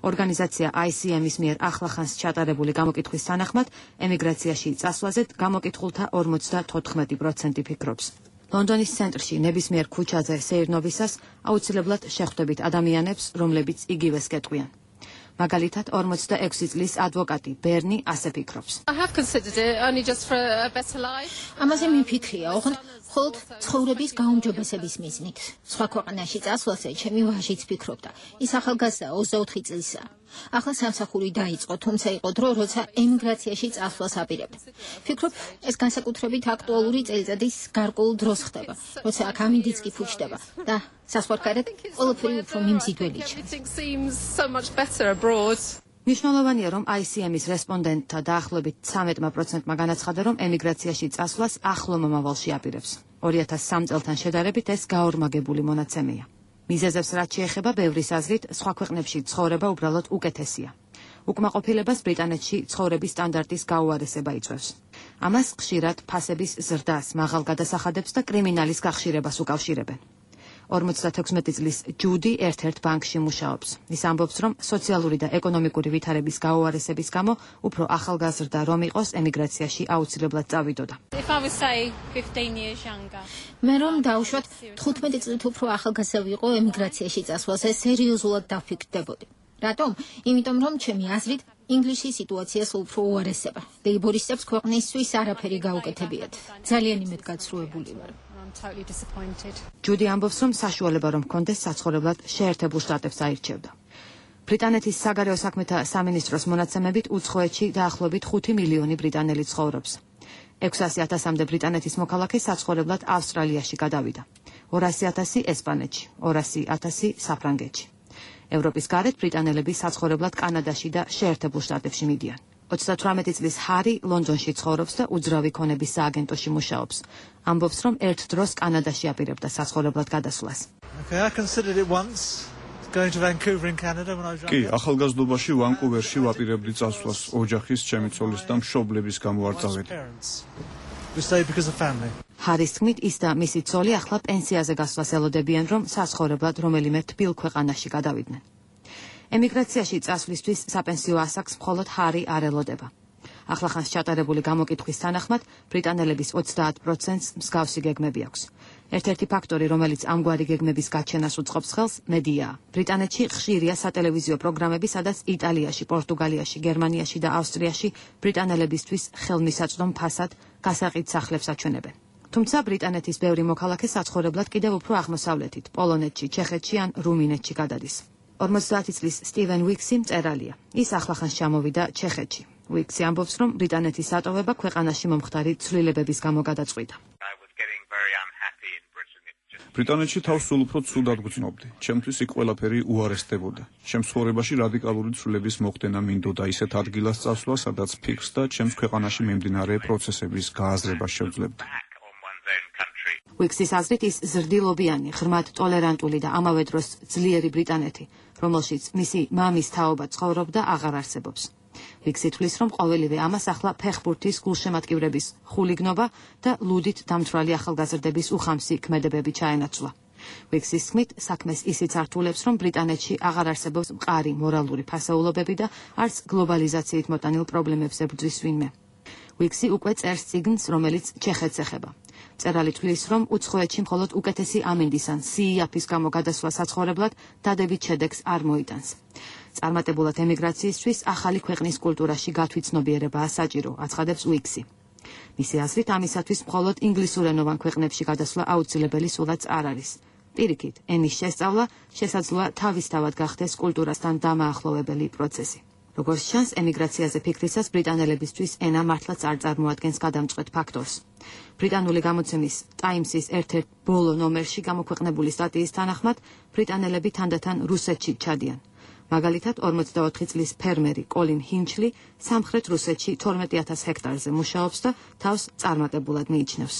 ორგანიზაცია I C M-ის მიერ ახლახანს ჩატარებული გამოკითხვის თანახმად, ემიგრაციაში წასვლაზე გამოკითხულთა ორმოცდათოთხმეტი პროცენტი ფიქრობს. ლონდონის ცენტრში ნებისმიერ ქუჩაზე სეირნობისას აუცილებლად შეხვდებით ადამიანებს, რომლებიც იგივეს გეტყვიან. მაგალითად, ორმოცდაექვსი წლის ადვოკატი ბერნი ასე ფიქრობს.
ამაზე მიფიქრია, ოღონდ მხოლოდ ცხოვრების გაუმჯობესების მიზნით. სხვა ქვეყანაში წასვლაზე ჩემი ვაჟიც ფიქრობდა. ის ახალგაზრდა ოცდაოთხი წლისაა. ახლა სამსახური დაიწყო, თუმცა იყო დრო, როცა ემიგრაციაში წასვლას აპირებდა. ფიქრობ, ეს განსაკუთრებით აქტუალური წელიწადის გარკვეულ დროს ხდება, როცა აქ ამინდიც კი ფუჭდება და საზღვარგარეთ ყველაფერი უფრო მიმზიდველი ჩანს.
მნიშვნელოვანია, რომ I C M-ის რესპონდენტთა დაახლოებით ცხრამეტ პროცენტმა განაცხადა, რომ ემიგრაციაში წასვლას ახლო მომავალში აპირებს. ორი ათას სამი წელთან შედარებით ეს გაორმაგებული მონაცემია. მიზეზებს რაც შეეხება, ბევრის აზრით, სხვა ქვეყნებში ცხოვრება უბრალოდ უკეთესია. უკმაყოფილებას ბრიტანეთში ცხოვრების სტანდარტის გაუარესება იწვევს. ამას ხშირად ფასების ზრდას, მაღალ გადასახადებს და კრიმინალის გახშირებას უკავშირებენ. ორმოცდათექვსმეტი წლის ჯუდი ერთ-ერთ ბანკში მუშაობს. ის ამბობს, რომ სოციალური და ეკონომიკური ვითარების გაუარესების გამო უფრო ახალგაზრდა რომ იყოს, ემიგრაციაში აუცილებლად წავიდოდა.
მე რომ დავუშვათ თხუთმეტი წლით უფრო ახალგაზრდა ვიყო, ემიგრაციაში წასვლაზე სერიოზულად დავფიქრდებოდი. რატომ? იმიტომ რომ ჩემი აზრით ინგლისში სიტუაციას უფრო უარესება. ლეიბორისტებს ქვეყნისთვის არაფერი გაუკეთებიათ. ძალიან იმედგაცრუებული ვარ.
ჯუდი ამბობს, რომ საშუალება რომ ჰქონდეს საცხოვრებლად შეერთებულ შტატებს აირჩევდა. ბრიტანეთის საგარეო საქმეთა სამინისტროს მონაცემებით უცხოეთში დაახლოებით ხუთი მილიონი ბრიტანელი ცხოვრობს. ექვსასი ათასამდე ბრიტანეთის მოქალაქე საცხოვრებლად ავსტრალიაში გადავიდა. ორასი ათასი ესპანეთში, ორასი ათასი საფრანგეთში. ევროპის გარეთ ბრიტანელები საცხოვრებლად კანადაში და შეერთებულ შტატებში მიდიან. ოცდათვრამეტი წლის ჰარი ლონდონში ცხოვრობს და უძრავი ქონების სააგენტოში მუშაობს. ამბობს, რომ ერთ დროს კანადაში აპირებდა საცხოვრებლად გადასვლას.
კი, ახალგაზრდობაში ვანკუვერში ვაპირებდი წასვლას ოჯახის, ჩემი ცოლის და მშობლების გამო არ წავედი.
ჰარის თქმით, ის და მისი ცოლი ახლა პენსიაზე გასვლას ელოდებიან, რომ საცხოვრებლად რომელიმე თბილ ქვეყანაში გადავიდნენ. ემიგრაციაში წასვლისთვის საპენსიო ასაკს მხოლოდ ჰარი არ ელოდება. ახლახანს ჩატარებული გამოკითხვის თანახმად, ბრიტანელების ოცდაათ პროცენტს მსგავსი გეგმები აქვს. ერთ-ერთი ფაქტორი, რომელიც ამგვარი გეგმების გაჩენას უწყობს ხელს, მედიაა. ბრიტანეთში ხშირია სატელევიზიო პროგრამები, სადაც იტალიაში, პორტუგალიაში, გერმანიაში და ავსტრიაში ბრიტანელებისთვის ხელმისაწვდომ ფასად გასაყიდ სახლებს აჩვენებენ. თუმცა ბრიტანეთის ბევრი მოქალაქე საცხოვრებლად კიდევ უფრო აღმოსავლეთით, პოლონეთში, ჩეხეთში ან რუმინეთში გადადის. ორმოცდაათი წლის სტივენ უიქსი მწერალია. ის ახლახანს ჩამოვიდა ჩეხეთში. უიქსი ამბობს, რომ ბრიტანეთის დატოვება ქვეყანაში მომხდარი ცვლილებების გამო გადაწყვიტა.
ბრიტანეთში თავს სულ უფრო ცუდად გრძნობდი. ჩემთვის იქ ყველაფერი უარესდებოდა. ჩემს ცხოვრებაში რადიკალური ცვლილების მოხდენა მინდოდა ისეთ ადგილას წასვლა, სადაც ფიქრს და ჩემს ქვეყანაში მიმდინარე პროცესების გააზრებას შევძლებდი.
უიქსის აზრით, ის ზრდილობიანი, ღრმად ტოლერანტული და ამავე დროს ძლიერი ბრიტანეთი, რომელშიც მისი მამის თაობა ცხოვრობდა, აღარ არსებობს. უიქსი თვლის, რომ ყოველივე ამას ახლა ფეხბურთის გულშემატკივრების ხულიგნობა და ლუდით დამთვრალი ახალგაზრდების უხამსი ქმედებები ჩაენაცვლა. უიქსის თქმით, საქმეს ისიც ართულებს, რომ ბრიტანეთში აღარ არსებობს მყარი მორალური ფასეულობები და არც გლობალიზაციით მოტანილ პრობლემებს ებრძვის ვინმე. უიქსი უკვე წერს წიგნს, რომელიც ჩეხეთს ეხება. მწერალი თვლის, რომ უცხოეთში მხოლოდ უკეთესი ამინდის ან სიიაფის გამო გადასვლა საცხოვრებლად დადებით შედეგს არ მოიტანს. წარმატებულად ემიგრაციისთვის ახალი ქვეყნის კულტურაში გათვითცნობიერებაა საჭირო, აცხადებს უიქსი. მისი აზრით, ამისათვის მხოლოდ ინგლისურენოვან ქვეყნებში გადასვლა აუცილებელი სულაც არ არის. პირიქით, ენის შესწავლა შესაძლოა თავისთავად გახდეს კულტურასთან დამაახლოვებელი პროცესი. როგორც ჩანს, ემიგრაციაზე ფიქრისას ბრიტანელებისთვის ენა მართლაც არ წარმოადგენს გადამწყვეტ ფაქტორს. ბრიტანული გამოცემის Times-ის ერთ-ერთ ბოლო ნომერში გამოქვეყნებული სტატიის თანახმად, ბრიტანელები თანდათან რუსეთში ჩადიან. მაგალითად, ორმოცდაოთხი წლის ფერმერი კოლინ ჰინჩლი სამხრეთ რუსეთში თორმეტი ათას ჰექტარზე მუშაობს და თავს წარმატებულად მიიჩნევს.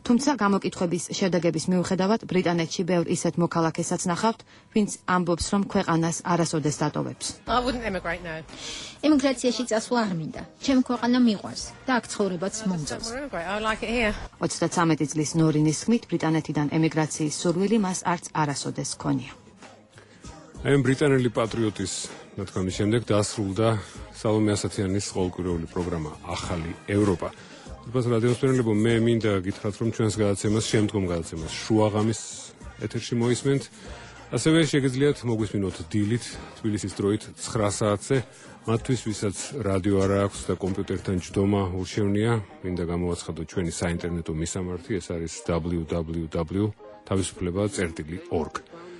თუმცა გამოკითხვების შედეგების მიუხედავად, ბრიტანეთში ბევრ ისეთ მოქალაქესაც ნახავთ, ვინც ამბობს, რომ ქვეყანას არასოდეს დატოვებს.
ემიგრაციაში წასვლა არ მინდა. ჩემი ქვეყანა მიყვარს და აქ ცხოვრებაც მომწონს.
ოცდათრამეტი წლის ნორინის თქმით, ბრიტანეთიდან ემიგრაციის სურვილი მას არც არასოდეს ჰქონია.
აი ბრიტანელი პატრიოტის ნათქვამის შემდეგ დასრულდა სალომე ასათიანის ყოველკვირეული პროგრამა ახალი ევროპა. თუმცა რადიოსმენელებო, მე მინდა გითხრათ, რომ ჩვენს გადაცემას შემდგომ გადაცემას შუაღამის ეთერში მოისმენთ. ასევე შეგიძლიათ მოგვისმინოთ დილით თბილისის დროით ცხრა საათზე. მათთვის, ვისაც რადიო არ აქვს და კომპიუტერთან ჯდომა ურჩევნია, მინდა გამოვაცხადოთ ჩვენი საინტერნეტო მისამართი, ეს არის double-u double-u double-u თავისუფლება წერტილი ორგ.